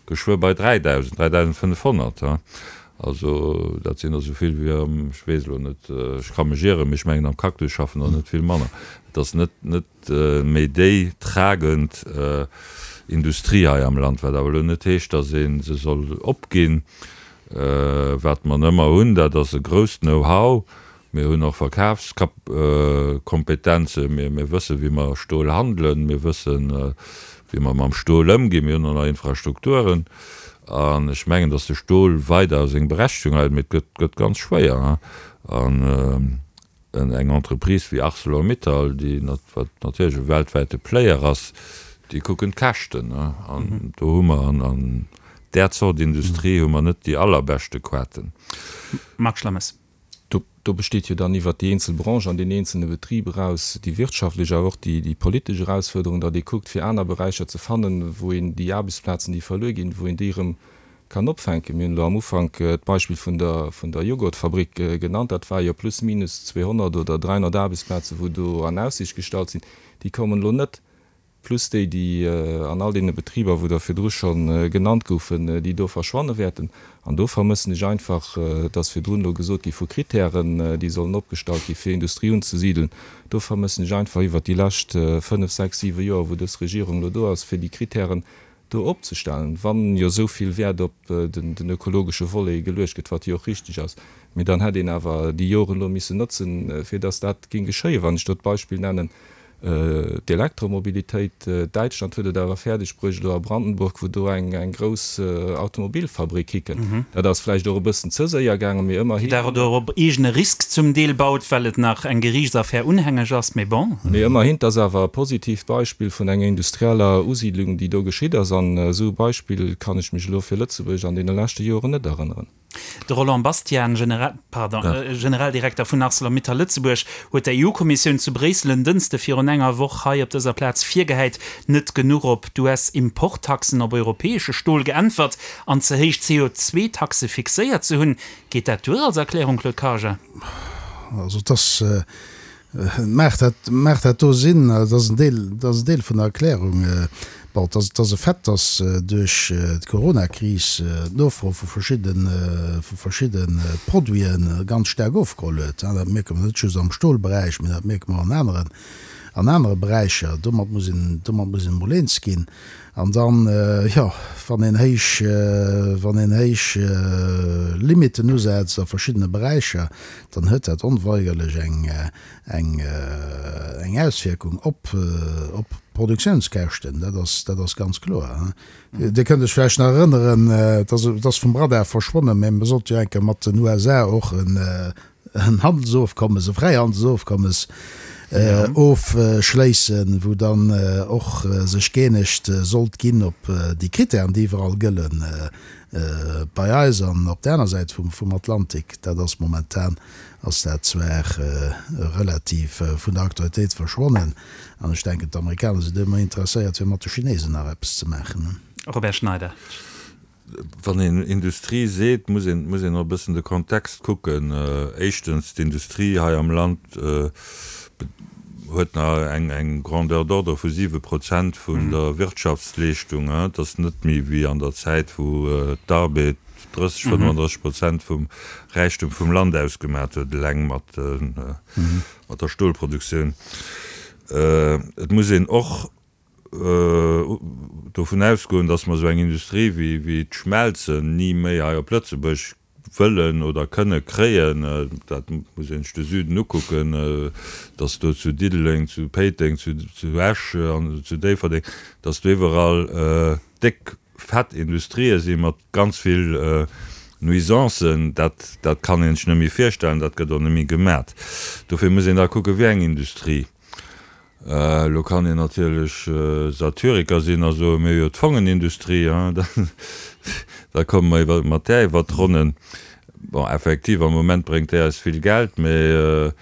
geschwë bei dräidausend, dräidausendfënnefhonnert. Also dat sinn der esou vill wéi am, ech weess elo net, ech ka mech ieren, mee ech mengen am Cactus schaffen der net vill manner. Et ass net net méi déi tragend Industrie hei am Land, wat awer elo net heescht, datt ee se soll opginn. Wat mer ëmmer hunn, dat ass e grousst Know-how. Mir hunn och Verkafskompetenzen, mir wëssen, wéi mer Stol handelen, mir wëssen, wéi mer mam Stol ëmginn, mir hunn och nach Infrastrukturen. An ech mengen, datt de Stol weider seng Berechtigung huet, mee et gëtt, gëtt ganz schwéier. An eng Entreprise wéi Arcelor-Mittal, déi, wat natierlech e weltwäite Player ass, déi kucken d'Käschten. An do hu mer an där Zort Industrie hu mer net déi allerbeschte Quaten. Marc Schlammes. Do besteet jo dann iwwert déi eenzel Branche an deen eenzelne Betrib eraus déi wirtschaftlech, awer och déi politesch Erausfuerderung, datt ee kuckt, fir aner Beräicher ze fannen, wou een déi Aarbechtsplazen, déi verluer ginn, wou een déi erëm kann opfänken. Mir hunn elo am Ufank d'Beispill vun der vun der Joghurtfabrik genannt. Dat war jo plus minus zweehonnert oder dräihonnert Aarbechtsplazen, wou do an Aussicht gestallt sinn. Déi kommen elo net. Plus déi, déi an all deene Betriber, wou der virdru scho genannt goufen, déi do verschwanne wäerten. An do vermëssen ech einfach, et ass virdrun elo gesot gi vu Kritären, déi sollen opgestallt gi fir Industrie unzesideln, do vermëssen ech einfach iwwert déi lescht fënnef, sechs, siwe Joer, wou dës Regierung elo do ass, fir déi Kritären do opzestellen, wann jo esou vill Wäert op den ökologesche Volet geluecht gëtt, wat jo och richtig ass. Mee dann hätt een awer déi Joren elo missen notzen, fir dass dat géing geschéien. Wann ech do d'Beispill nennen, D'Elektromobilitéit, Däitschland huet et awer fäerdeg bruecht, elo a Brandenburg, wou do eng grouss Automobilfabrik hikënnt. Dat ass vläicht och e bëssen ze séier gaangen, mee ëmmerhin. Déi dat och op eegene Risk zum Deel baut, well et nach eng Geriichtsaffär unhängeg ass, mee bon. Mee ëmmerhin, 't ass awer e positiivt Beispill vun enger industrieller Usiidlung, déi do geschitt ass. An esou e Beispill kann ech mech elo fir Lëtzebuerg an deene leschte Joren net erënneren. De Roland Bastian, Generaldirekter vun Arcelor-Mittal Lëtzebuerg, huet der E U-Kommissioun zu Bréissel en Dënschde virun enger Woch hei op dëser Plaz virgehäit, net genuch op d'U S-Importtaxen op europäesche Stol geäntwert an ze héich C O zwee Taxe fixéiert ze hunn. Geet dat duer als Erklärung, Claude Karger? Also et ass Maacht dat, maacht dat do Sinn? Dat ass en Deel, dat ass en Deel vun der Erklärung. Bon, et ass, et ass e Fait, dass duerch d'Coronakris d'Nofro vu verschidde, vu verschidde Produite ganz staark ofgeholl huet. Dat mierke mer net just am Stolberäich, mä dat mierke mer an aneren, an anere Beräicher. Domat muss een, domat muss een emol eens ginn. An dann, jo, wann een héich, wann een héich Limiten usetzt a verschiddene Beräicher, dann huet dat onweigerlech eng, eng, eng Auswierkung op, op d'Produktiounskäschten. Dat ass, dat ass ganz kloer. Dir kënnt Iech vläicht nach erënneren, et ass, et ass vum Radar verschwonnen, mä mer sollte jo eng Kéier mat den U S A och en, en Handelsofkommes, e Fräihandelsofkommes ofschléissen, wou dann och sech gëeenegt sollt ginn op déi Kritären, déi iwwerall gëllen, bei eis an op där aner Säit vum Atlantik. Dat ass momentan ass dat zwar relativ vun der Aktualitéit verschwonnen an ech denken, d'Amerikaner sinn do ëmmer interesséiert, fir mat de Chinesen nach eppes ze maachen. Robert Schneider. Wann een Industrie seet, muss een, muss een och e bëssen de Kontext kucken. Éischtens, d'Industrie hei am Land huet nach eng, eng Grandeur d'ordre vu siwe Prozent vun der Wirtschaftsleeschtung. Et ass net méi wéi an der Zäit, wou d'Arbed drësseg, fënnefandrësseg Prozent vum Räichtum vum Land ausgemat huet, eleng mat, mat der Stolproduktioun. Et muss een och dovun ausgoen, datt mer esou eng Industrie wéi d'Schmelzen ni méi hei op Lëtzebuerg wëllen oder kënne kréien. Dat muss een sech de Süden ukucken, datt do zu Diddeleng, zu Péiteng, zu Esch an zu Déifferdeng, datt do iwwerall déck, fett Industrië si mat ganz vill Nuisancen. Dat, dat kann een sech net méi virstellen, dat gëtt och net méi gemat. Dofir muss een da kucken, wéi eng Industrie. Elo kann een natierlech Satyriker sinn a soen, mir hu jo d'Fongenindustrie, da komme mer iwwer mat där iwwert d'Ronnen. Bon, effektiv, am Moment bréngt déi eis vill Geld, mee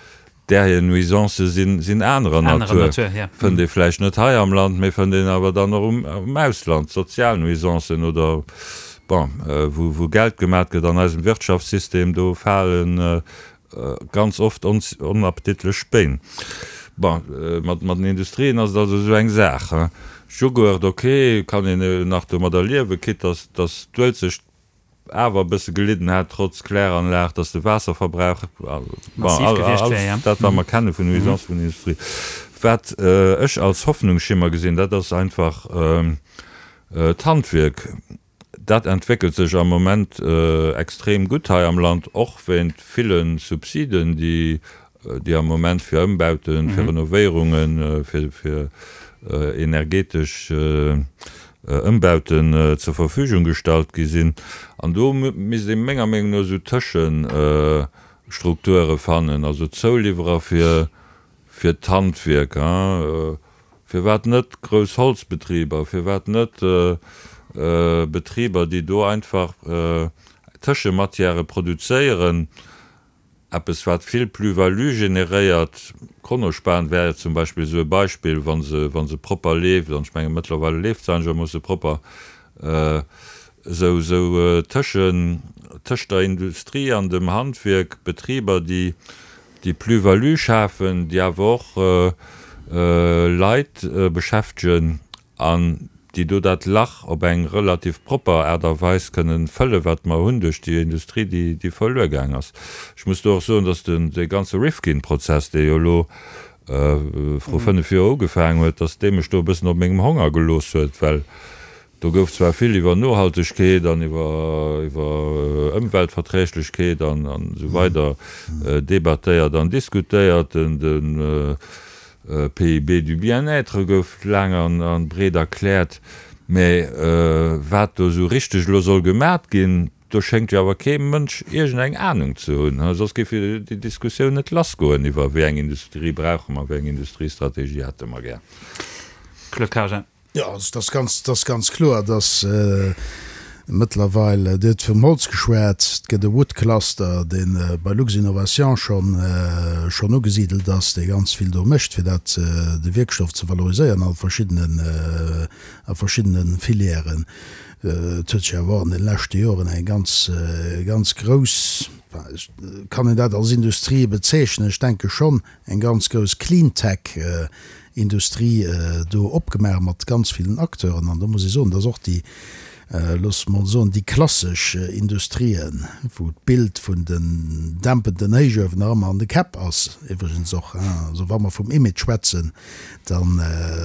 där hir Nuisancë sinn anerer Natur. Fënnt ee vläicht net hei am Land, mee fënnt een awer dann och am Ausland, sozial Nuisancen oder, bon, wou Geld gemat gëtt an eisem Wirtschaftssystem, do falen ganz oft onappetitlech Spéin. Bon, mat den Industrien ass et also esou eng Saach. Jughurt, ok, kann een nach domadder liewen, quitte dass dass d'Uelzecht awer e bësse gelidden hat, trotz Kläranlag, dass de Waasserverbrauch, bon, alles dat, wat mer kenne vun Nuisance vun Industrie. Wat ech als Hoffnungsschimmer gesinn, dat ass einfach d'Handwierk. Dat entwéckelt sech am Moment extrem gutt hei am Land, och wéint ville Subsiden, déi déi am Moment fir Ëmbauten, fir Renovéierungen, fir fir energetesch Ëmbauten zur Verfügung gestallt gi sinn. An do misst ee menger Meenung no esou Tëschestrukture fannen, also Zouliwwerer fir fir d'Handwierk, firwat net grouss Holzbetriber, firwat net Betriber, déi do einfach Tëschematièrë produzéieren, eppes wat vill Plus-value generéiert. Kronospan wär zum Beispill esou e Beispill, wa se, wa se propper leeft, an ech menge mëttlerweile leeft se einegermoosse propper, esou, esou tëschen, tëscht der Industrie an dem Handwierk Betriber, déi, déi Plus-value schafen, déi awer och Leit beschäftegen an déi do dat Lach op eng relativ propper Aart a Weis kënnen fëllen, wat mer hunn duerch déi Industrie, déi, déi verluer gaang ass. Ech muss do och soen, dass den, dee ganze Rifkin-Prozess, dee jo elo vru fënnef Joer ugefaangen huet, dass dee mech do e bëssen op mengem Honger gelooss huet, well do gouf zwar vill iwwer Nohaltegkeet an iwwer, iwwer Ëmweltverträglechkeet an, an esou weider debattéiert an diskutéiert, den, den P I B du bien-être gouf laang an breet erkläert, mä wat do esou richteg elo soll gemat ginn, do schéngt jo awer kee Mënsch iergend eng Anung ze hunn, soss géif jo déi Diskussioun net lassgoen iwwer wéi eng Industrie brauche mer, wéi eng Industriestrategie hätte mer gär. Claude Karger. Jo, also et ass ganz, et ass ganz kloer, dass mëttlerweil, Dir hutt vum Holz geschwat, et gëtt e Wood Cluster, dee bei Luxinnovation schonn, schonn ugesidelt ass, dee ganz vill do mécht, fir dat, de Wierkstoff ze valoriséieren a verschiddenen, a verschiddene Filièren. Et huet sech awer och an de leschte Joren eng ganz, ganz grouss, kann een dat als Industrie bezeechnen? Ech denke schonn, eng ganz grouss Cleantech-Industrie do opgemaach mat ganz villen Acteuren. An do muss ee soen, dass och déi, loosse mer soen, déi klassesch Industrien, wou d'Bild vun den dämpenden Héichuewen nach ëmmer an de Käpp ass, iwwregens och, also wa mer vum Image schwätzen, da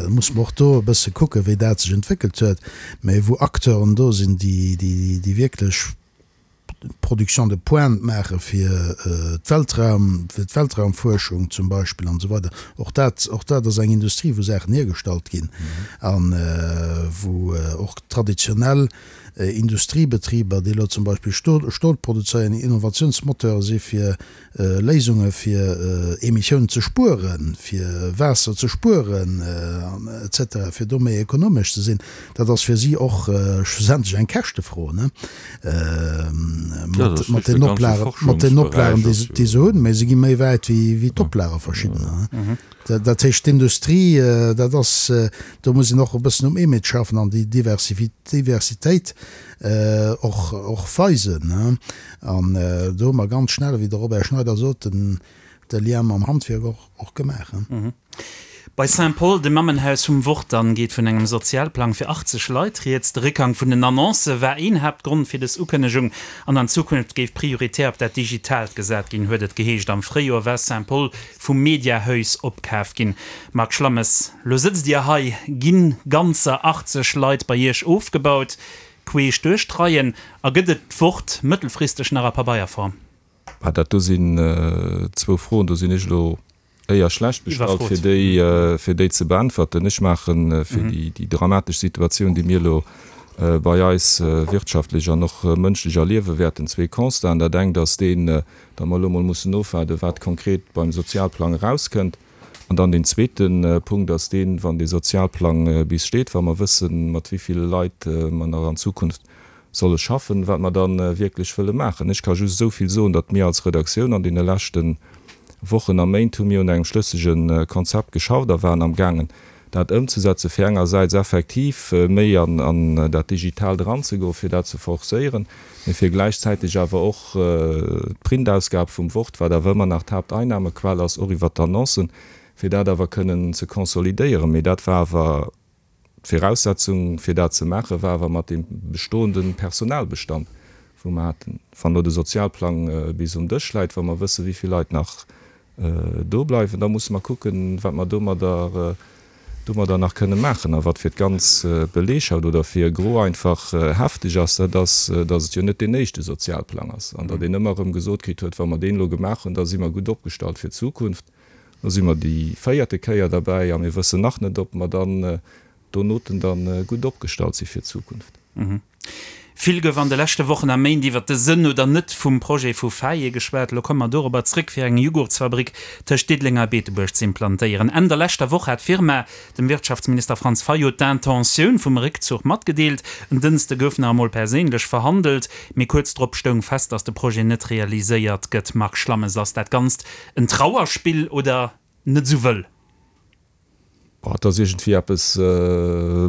muss mer och do e bësse kucken, wéi dat sech entwéckelt huet, mä wou Acteuren do sinn, déi wierklech Production de pointe maache fir d'Weltraum, fir d'Weltraumfuerschung zum Beispill an esou weider. Och dat, och dat ass eng Industrie, wou Saachen hiergestallt ginn a wou och traditionell Industriebetriber, déi elo zum Beispill Stol, Stol produzéieren, Innovationsmoteure si fir Léisunge fir Emissiounen ze spueren, fir Waasser ze spueren, et cetera, fir do méi ekonomesch ze sinn, dat ass fir si och schlussendlech eng Käschtefro, ne, mat den Oplagen, mat den Oplagen, déi se hunn. Mä se gi méi wäit wéi d'Oplage verschiddener. Dat heescht, d'Industrie, dat ass, do muss een och e bëssen um Image schaffen an déi Diversitéit och, och weisen. An do hu mer ganz schnell, wéi de Robert Schneider sot, den, de Lien mam Handwierk och, och gemaach. Bei Saint-Paul, dem Mammenhaus vum Wort, dann geet vun engem Sozialplang fir achtzeg Leit rieds. De Réckgang vun den Annoncë war een Haaptgrond fir dës Ukënnegung an an Zukunft géif prioritär op dat Digitaalt gesat ginn, huet et geheescht. Am Fréijoer war Saint-Paul vum Mediahuis opkaf ginn. Marc Schlammes, lo sëtzt Dir hei, ginn ganzer achtzeg Leit bei Iech ofgebaut, queesch duerch d'Reien a gëtt et d'Wort mëttelfristeg nach a Pabeierform? Ah, dat do sinn zwou Froen, do sinn ech elo éier schlecht bestallt, fir déi, fir déi ze beäntwerten. Ech maache fir déi, déi dramatesch Situatioun, déi mir elo bei eis wirtschaftlech an och mënschlech erliewe wäerten, zwee Constaten. Dat engt ass deen, datt mer elo emol mussen ofwaarden, wat konkret beim Sozialplang erauskënnt. An dann deen zweete Punkt ass deen, wann dee Sozialplang bis steet, wa mer wëssen, mat wéi ville Leit mer nach an Zukunft solle schaffen, wat mer da wierklech wëlle maachen. Ech ka just esou vill soen, datt mir als Redaktioun an deene leschte Wochen a Méint hu mir un engem schlëssege Konzept geschafft a waren amgaangen, dat ëmzesetzen, fir engersäits effektiv méi an dat Digitaalt eranzegoen, fir dat ze forcéieren, mee fir gläichzäiteg awer och d'Printausgab vum Wort, wat awer ëmmer nach d'Haapteinnahmequell ass, och iwwert d'Annoncen, fir dat awer kënnen ze konsolidéieren. Mee dat war awer d'Viraussetzung, fir dat ze maachen, war awer mat deem bestoende Personalbestand, wou mer haten. Wann elo de Sozialplang bis um Dësch läit, wa mer wëssen, wéi vill Leit nach do bleiwen, da musse mer kucken, wat mer domadder domadder nach kënne maachen. A wat fir d'ganz Belegschaft oder fir e Gros einfach hefteg ass, dat ass, datt et jo net deen éischte Sozialplang ass an datt een ëmmer erëm gesot kritt huet, wa mer deen elo gemaach hunn, da si mer gutt opgestallt fir d'Zukunft. Elo si mer déi véierte Kéier derbäi a mir wëssen nach net, ob mer dann donoten dann gutt opgestallt si fir d'Zukunft. Vill gouf an de leschte Wochen a Méint iwwer de Sënn oder net vum Projet vu Faye geschwat. Elo komme mer dorobber zréck, fir eng Jughurtsfabrik tëscht Diddeleng a Beetebuerg ze implantéieren. Enn der leschter Woch hat d'Firma dem Wirtschaftsminister Franz Fayot d'Intentioun vum Réckzuch matgedeelt. En Dënschde gouf nach emol perséinlech verhandelt, mee kuerz drop stoung fest, datt de Projet net realiséiert gëtt. Marc Schlammes, Ass dat Ganzt en Trauerspill oder net esou wëll? Oh, et ass iergendwéi eppes e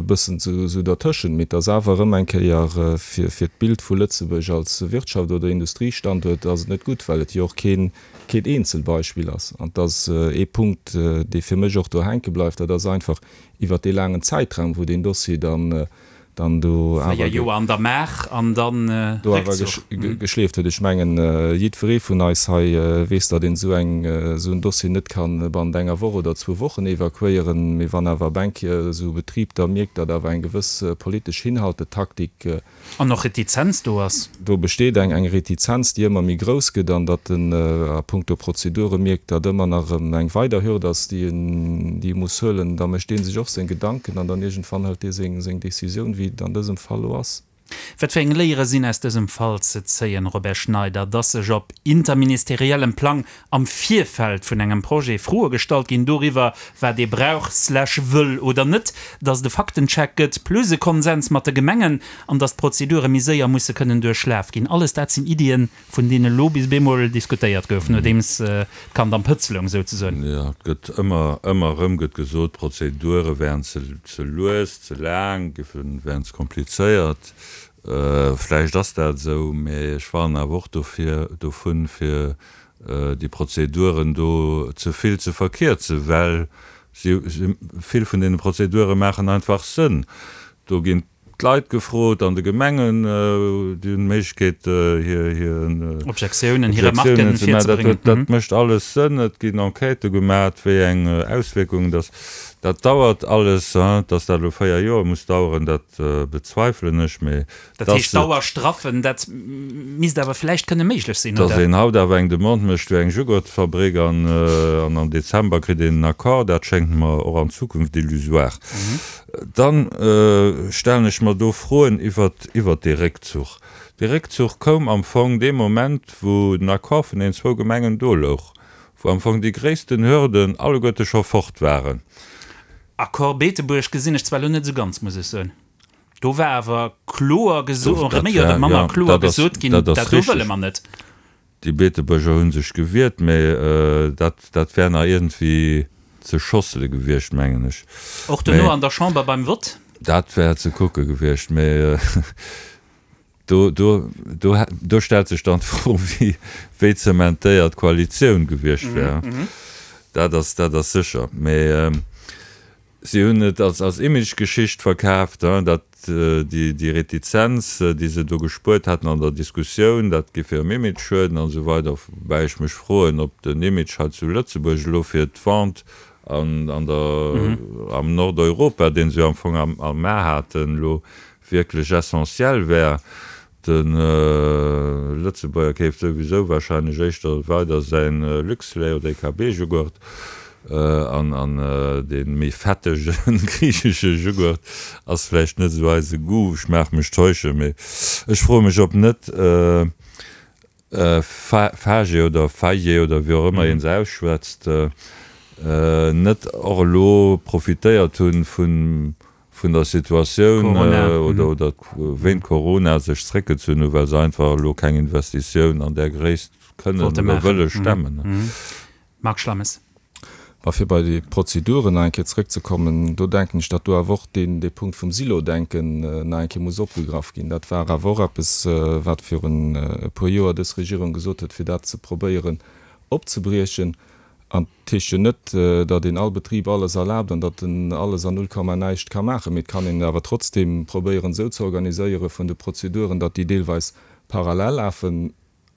bëssen esou dertëschent, mee et ass awer erëm eng Kéier fir fir d'Bild vu Lëtzebuerg als Wirtschaft oder Industriestanduert ass et net gutt, well et jo och keen keen Eenzelbeispill ass. An et ass ee Punkt, dee fir mech och do hänke bleift, dat ass einfach iwwert dee laangen Zäitraum, wou deen Dossier dann dann do awer Véier Joer an der Maach an dann do awer Réckzuch. geschleeft huet. Ech mengen, jiddweree vun eis hei weess, datt een esou eng, esou en Dossier net ka bannent enger Woch oder zwou Wochen evakuéieren. Mee wann awer eng Kéier esou e Betrib da mierkt, datt awer eng gewëss politesch Hinhaltetaktik, An och Retizenz do ass. Do besteet eng eng Retizenz, déi ëmmer méi grouss gëtt an datt en a puncto Prozedure mierkt, datt ëmmer nach erëm eng weider Hürd ass, déi en déi e muss huelen. Da mécht dee sech och seng Gedanken an dann iergendwann hëlt dee seng seng Décisioun, wéi et an dësem Fall elo ass. Wat fir eng Léiere sinn aus dësem Fall ze zéien, Robert Schneider? Dass sech op interministeriellem Plang am Virfeld vun engem Projet Froe gestallt ginn doriwwer, wat ee brauch slash wëll oder net, dass et e Faktencheck gëtt, plus e Konsens mat de Gemengen, an dass d'Prozedure méi séier musse kënnen duerchlaf ginn. Alles dat sinn Iddien, vun deene elo bis bemol diskutéiert gouf, nodeems d'Kand am Pëtz loung souzesoen. Jo, et gëtt ëmmer, ëmmer erëm gëtt gesot, d'Prozedure wären ze, ze lues, ze laang, giffen, wären ze komplizéiert. Vläicht ass dat esou, mä ech warnen awer och dofir, dovun, fir déi Prozeduren do ze vill ze verkierzen, well si, vill vun deene Prozedure maachen einfach Sënn. Do ginn d'Leit gefrot an de Gemengen, déi hunn d'Méiglechkeet, hir, hir Objektiounen, hir Remarken ze maachen. virzebréngen. Dat mécht alles Sënn. Et ginn Enquêtë gemaach, wéi eng Auswierkungen dass dat dauert alles. Dass dat elo véier Joer muss daueren, dat bezweifelen ech. Mee Dat dass heescht, Dauerstraffen, dat misst awer vläicht kënne méiglech sinn, dass oder? een haut awer eng Demande mécht fir eng Jugurtfabrik an an am Dezember kritt een en Accord, dat schéngt mer och an Zukunft illusoire. Dann stellen ech mer do Froen iwwert iwwert dee Réckzuch. Dee Réckzuch koum am Fong dee Moment, wou den Accord vun deenen zwou Gemengen do louch, wou am Fong déi gréissten Hürden alleguerte scho fort waren. Accord Beetebuerg gesinn ech zwar elo net esou ganz, muss ech soen. Do war awer kloer gesot, oder méi oder manner kloer gesot ginn, dat do wëlle mer net. Déi Beetebuerger hu sech gewiert, mä dat, dat wär nach iergendwéi ze schossele gewiescht, mengen ech. Och duerno an der Chamber beim Vott? Dat wär ze kucke gewiescht, mä do, do, do, do stellt sech dann d'Fro, wéi, wéi zementéiert d'Koalitioun gewiescht wär. Dat ass, dat ass sécher. Mä si hunn et als, als Imagegeschicht verkaaft, datt déi, déi Retizenz, déi se do gespuert haten an der Diskussioun, dat géif hirem Image schueden an esou weider. Woubäi ech mech froen, ob den Image hei zu Lëtzebuerg elo fir d'Vente an, an der, am Nordeuropa, dee se jo am Fong am, am A haten, elo wierklech essentiell wär. De Lëtzebuerger keeft souwisou wahrscheinlech éischter weider säin Luxlait oder E K B-Jughurt an an dee méi fettege griichesche Jughurt ass vläicht net esou eise Goût. Ech maach mech täuschen, mee ech froe mech, ob net Fage oder Faye oder wéi och ëmmer ee se ausschwätzt, net och elo profitéiert hunn vun vun der Situatioun oder oder wéint Corona sech zréckgezunn hunn, well se einfach elo keng Investitioun an där Gréisst kënnen oder wëlle stemmen. Marc Schlammes. Mä fir bei déi Prozeduren nach eng Kéier zréckzekommen, do denken ech, datt do awer och deen dee Punkt vum Silo-Denken nach eng Kéier muss opgegraff ginn. Dat war awer och eppes, wat virun e puer Joer dës Regierung gesot huet, fir dat ze probéieren opzebriechen. An et heescht jo net, datt een all Betrib alles erlaabt an datt en alles an null Komma näischt ka maachen, mee et kann een et awer trotzdeem probéieren esou ze organiséiere vun de Prozeduren, datt déi deelweis parallel lafen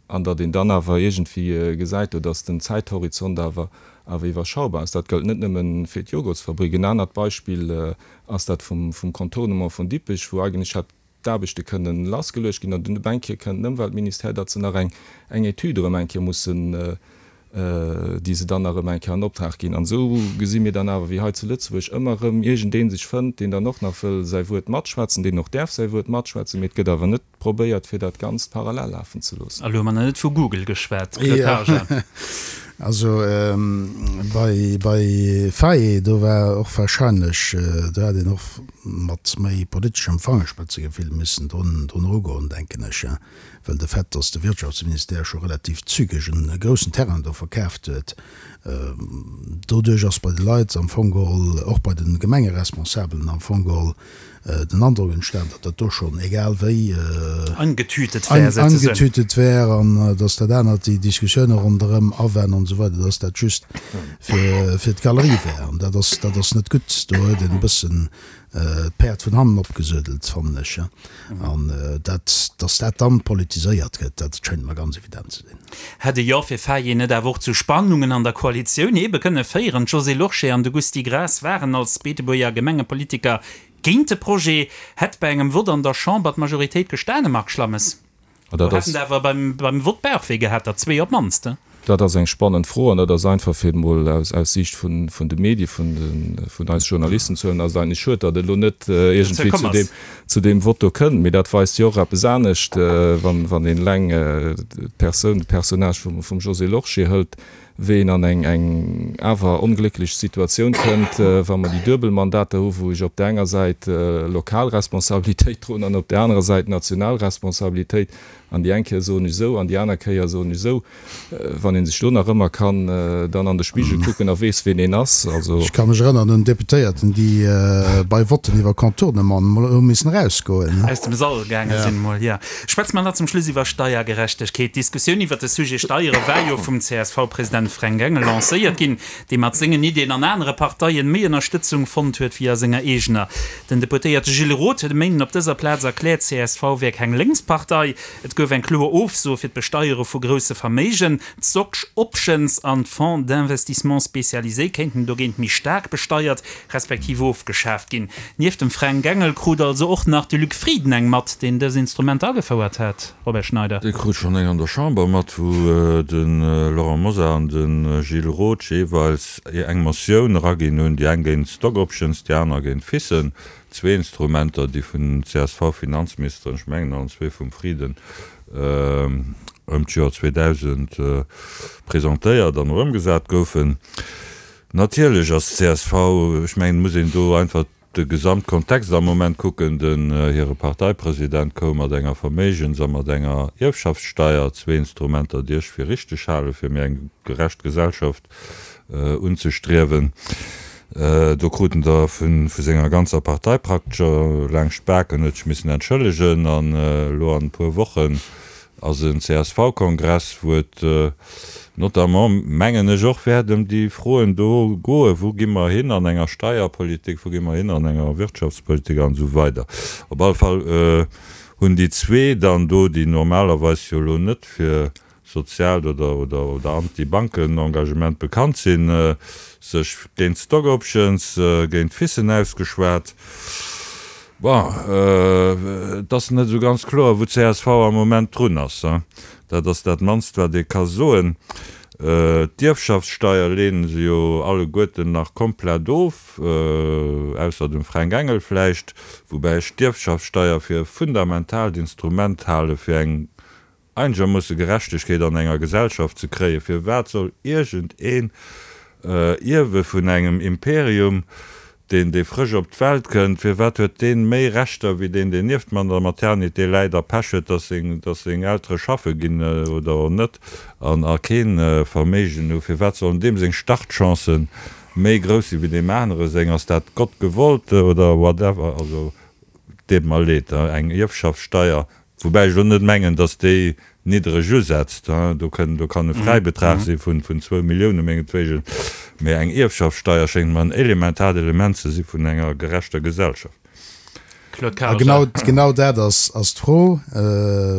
an datt een dann awer iergendwéi gesäit do, datt den Zäithorizont awer awer iwwerschaubar ass. Dat gëllt net nëmme fir d'Jogurtsfabrik. En anert Beispill ass dat vum Contournement vun Dippech, wou eigentlech hätt d'Aarbechte kënnen lassgeluecht ginn an dunn op eng Kéier kënnt den Ëmweltministère, datt se nach eng eng Etüd erëm eng Kéier mussen, déi se dann nach erëm eng Kéier an Optrag ginn. An esou gesi mir dann awer, wéi hei zu Lëtzebuerg ëmmer erëm iergendee sech fënnt, deen dann och nach wëll säi Wuert matschwätzen, deen och däerf säi Wuert matschwätzen, mee et gëtt awer net probéiert, fir dat Ganzt parallel lafen ze loossen. A lo hu mer nach net vu Google geschwat, Claude Haagen. Also bei bei Faye, do war och wahrscheinlech, do hätt een och mat méi politeschem Fangerspëtzegefill missen drun drun erugoen, denken ech, well de Fait, datt de Wirtschaftsministère scho relativ zügeg en groussen Terrain do verkaaft huet, doduerch ass bei de Leit am Fong geholl, och bei de Gemengeresponsabelen am Fong geholl, den Androck entstan, datt dat do schonn egal wéi angetütet wär, angetütet wär an datt dat anert, déi Diskussioune ronderëm Awen an esou weider, datt dat just fir, fir d'Galerie wär. An dat ass, dat ass net gutt. Do huet een e bëssen d'Päerd vun hannen opgesuedelt, fannen ech. An dat, datt dat dann politiséiert gëtt, dat schéngt mer ganz evident ze sinn. Hätt e Jo fir Faye net awer och zu Spannungen an der Koalitioun ebe kënne féieren? D'Josée Lorsché an de Gusty Graas waren als Beetebuerger Gemengepolitiker géint de Projet. Hätt bei engem Vott an der Chamber d'Majoritéit gestane, Marc Schlammes? Do hätten der awer beim Vott Bauchwéi gehat, der zwee op d'mannst. Dat ass eng spannend Fro an dat ass einfach, fir et emol aus aus Siicht vun vun de Medie, vun de vun eis Journalisten ze huelen, ass et eigentlech schued, datt et elo net iergendwéi zu deem zu deem Vott do kënnt. Mee dat weist jo och eppes anescht, wann wann een eleng d'Persoun, de Personnage vum vum Josée Lorsché hëlt, wéi een an eng eng awer onglécklech Situatioun kënnt, wa mer déi duebel Mandater hu wou ech op där enger Säit lokal Responsabilitéit droen an op där anerer Säit national Responsabilitéit. An déi eng Kéier soen ech esou an déi aner Kéier soen ech esou. Wann ee sech do nach ëmmer kann dann an de Spigel kucken a weess, ween een ass, also. Ech ka mech erënnern un Deputéierten, déi bei Votten iwwer Contournement emol hu missen erausgoen. Aus dem Sall gaange sinn emol, jo. Schwätze mer nach zum Schluss iwwer Steiergerechtegkeet. D'Diskussioun iwwer de Sujet Steiere war jo vum C S V-President Fränk Engel lancéiert ginn, dee mat sengen Iddien an anere Parteien méi Ënnerstëtzung fonnt huet wéi a senger eegener. Den Deputéierte Gilles Roth huet e Méinden op dëser Plaz erkläert, csv wär keng Lénkspartei. Et gouf eng kloer Ofso fir d'Besteiere vu grousse Verméigen. D'Stock Options an d'Fonds d'investissement spécialisés kéinten dogéint méi staark besteiert, respektiv ofgeschaaft ginn. Nieft dem Fränk Engel krut also och nach de Luc Frieden eng mat, deen dës Instrumenter agefouert hat, Robert Schneider. Dee krut schonn eng an der Chamber mat, wou de Laurent Mosar an de Gilles Roth jeeweils eng Motioun eraginn hunn, déi eng géint d'Stock Options, déi aner géint d'FISen. Zwee Instrumenter, déi vun C S V-Finanzministeren, ech mengen allen zwee vum Frieden, ëm d'Joer zweedausend presentéiert an och ëmgesat goufen. Natierlech ass d'C S V, ech mengen, et muss een do einfach de Gesamtkontext am Moment kucken, den hire Parteipresident koum mat enger Verméigens a mat enger Ierfschaftssteier, zwee Instrumenter, déi ech fir richteg hale fir méi eng gerecht Gesellschaft unzestriewen. Do krut en der vu senger ganzer Partei praktesch laangscht d'Baken, huet sech missen entschëllegen. An elo an e puer Wochen ass en C S V-Kongress, wou et notamment, mengen ech, och wäert ëm déi Froen do goen, Wou gi mer hin an enger Steierpolitik, wou gi mer hin an enger Wirtschaftspolitik an esou weider. Op alle Fall hunn déi zwee dann do, déi normalerweis jo elo net fir soziaalt oder oder oder Anti-Banken-Engagement bekannt sinn, sech géint Stock Options, géint FISen ausgeschwat. Bon, et ass net esou ganz kloer, wou C S V am Moment drun ass. Dat ass dat mannst, wat ee ka soen. D'Ierfschaftssteier leene se jo alleguerten nach komplett of, ausser dem Fränk Engel vläicht, woubäi ech d'Ierfschaftssteier fir e fundamentaalt Instrument hale fir eng einegermoosse Gerechtegkeet an enger Gesellschaft ze kréien. Firwat soll iergend een Ierwe vun engem Imperium, deen dee frësch op d'Welt kënnt, firwat huet deen méi Rechter wéi deen deen nieft mer an der Maternité läit a Pech huet, dass seng dass seng Eltere schaffe ginn oder och net an a keen Verméigen hu, firwat sollen deem seng Startchancen méi grouss si wéi deem anere seng? Ass dat Gott gewollt oder whatever? Also deet mer leed, eng Ierfschaftssteier, woubäi ech elo net mengen, datt déi niddereg usetzt, do kënn, do kann e Fräibetrag si vun, vun zwou Millioune mengetwegen, mee eng Ierfschaftssteier schéngt mer en elementaart Element ze si vun enger gerechter Gesellschaft. Claude A Karger. genau, genau dat ass, ass d'Fro,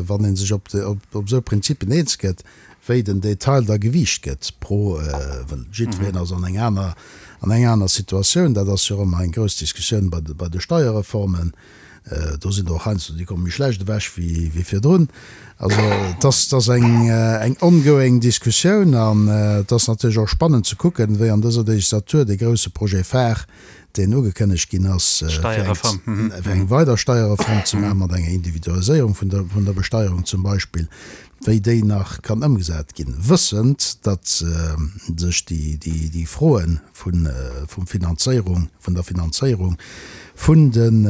wann ee sech op, op, op esou Prinzipien eens gëtt, wéi den Detail da gewiicht gëtt pro, well jiddwereen ass an eng aner, an eng aner Situatioun. Dat ass jo och ëmmer eng grouss Diskussioun bei de, bei de Steierreformen. Do sinn der och heiansdo, déi komme méi schlecht ewech wéi, wéi virdrun. Also et ass, et ass eng, eng ongoing Diskussioun an et ass natierlech och spannend ze kucken, wéi an dëser Legislatur dee grousse Projet phare, deen ugekënnegt ginn ass, fir eng, fir eng weider Steierreform ze maachen, mat enger Individualiséierung vun der, vun der Besteierung zum Beispill, wéi déi nach kann ëmgesat ginn, wëssend, datt sech déi, déi, déi Froe vun, vum Finanzéierung, vun der Finanzéierung vun den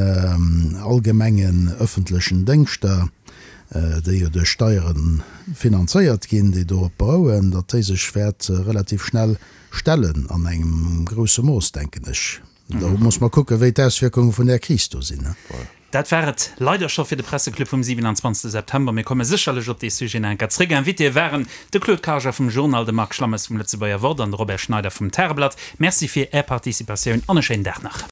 allgemengen öffentlechen Déngschter, déi jo duerch Steiere finanzéiert ginn, déi dorop berouen, datt déi sech wäert relativ schnell stellen an engem grousse Mooss, denken ech. Do muss mer kucken, wéi d'Auswierkunge vun där Kris do sinn. Dat war et leider scho fir de Presseclub vum siwenanzwanzegste September. Mir komme sécherlech op dee Sujet nach eng Kéier zréck. Invitéë waren de Claude Karger vum Journal, de Marc Schlammes vum Lëtzebuerger Wort an de Robert Schneider vum Tageblatt. Merci fir Är Participatioun an e schéinen Dag nach.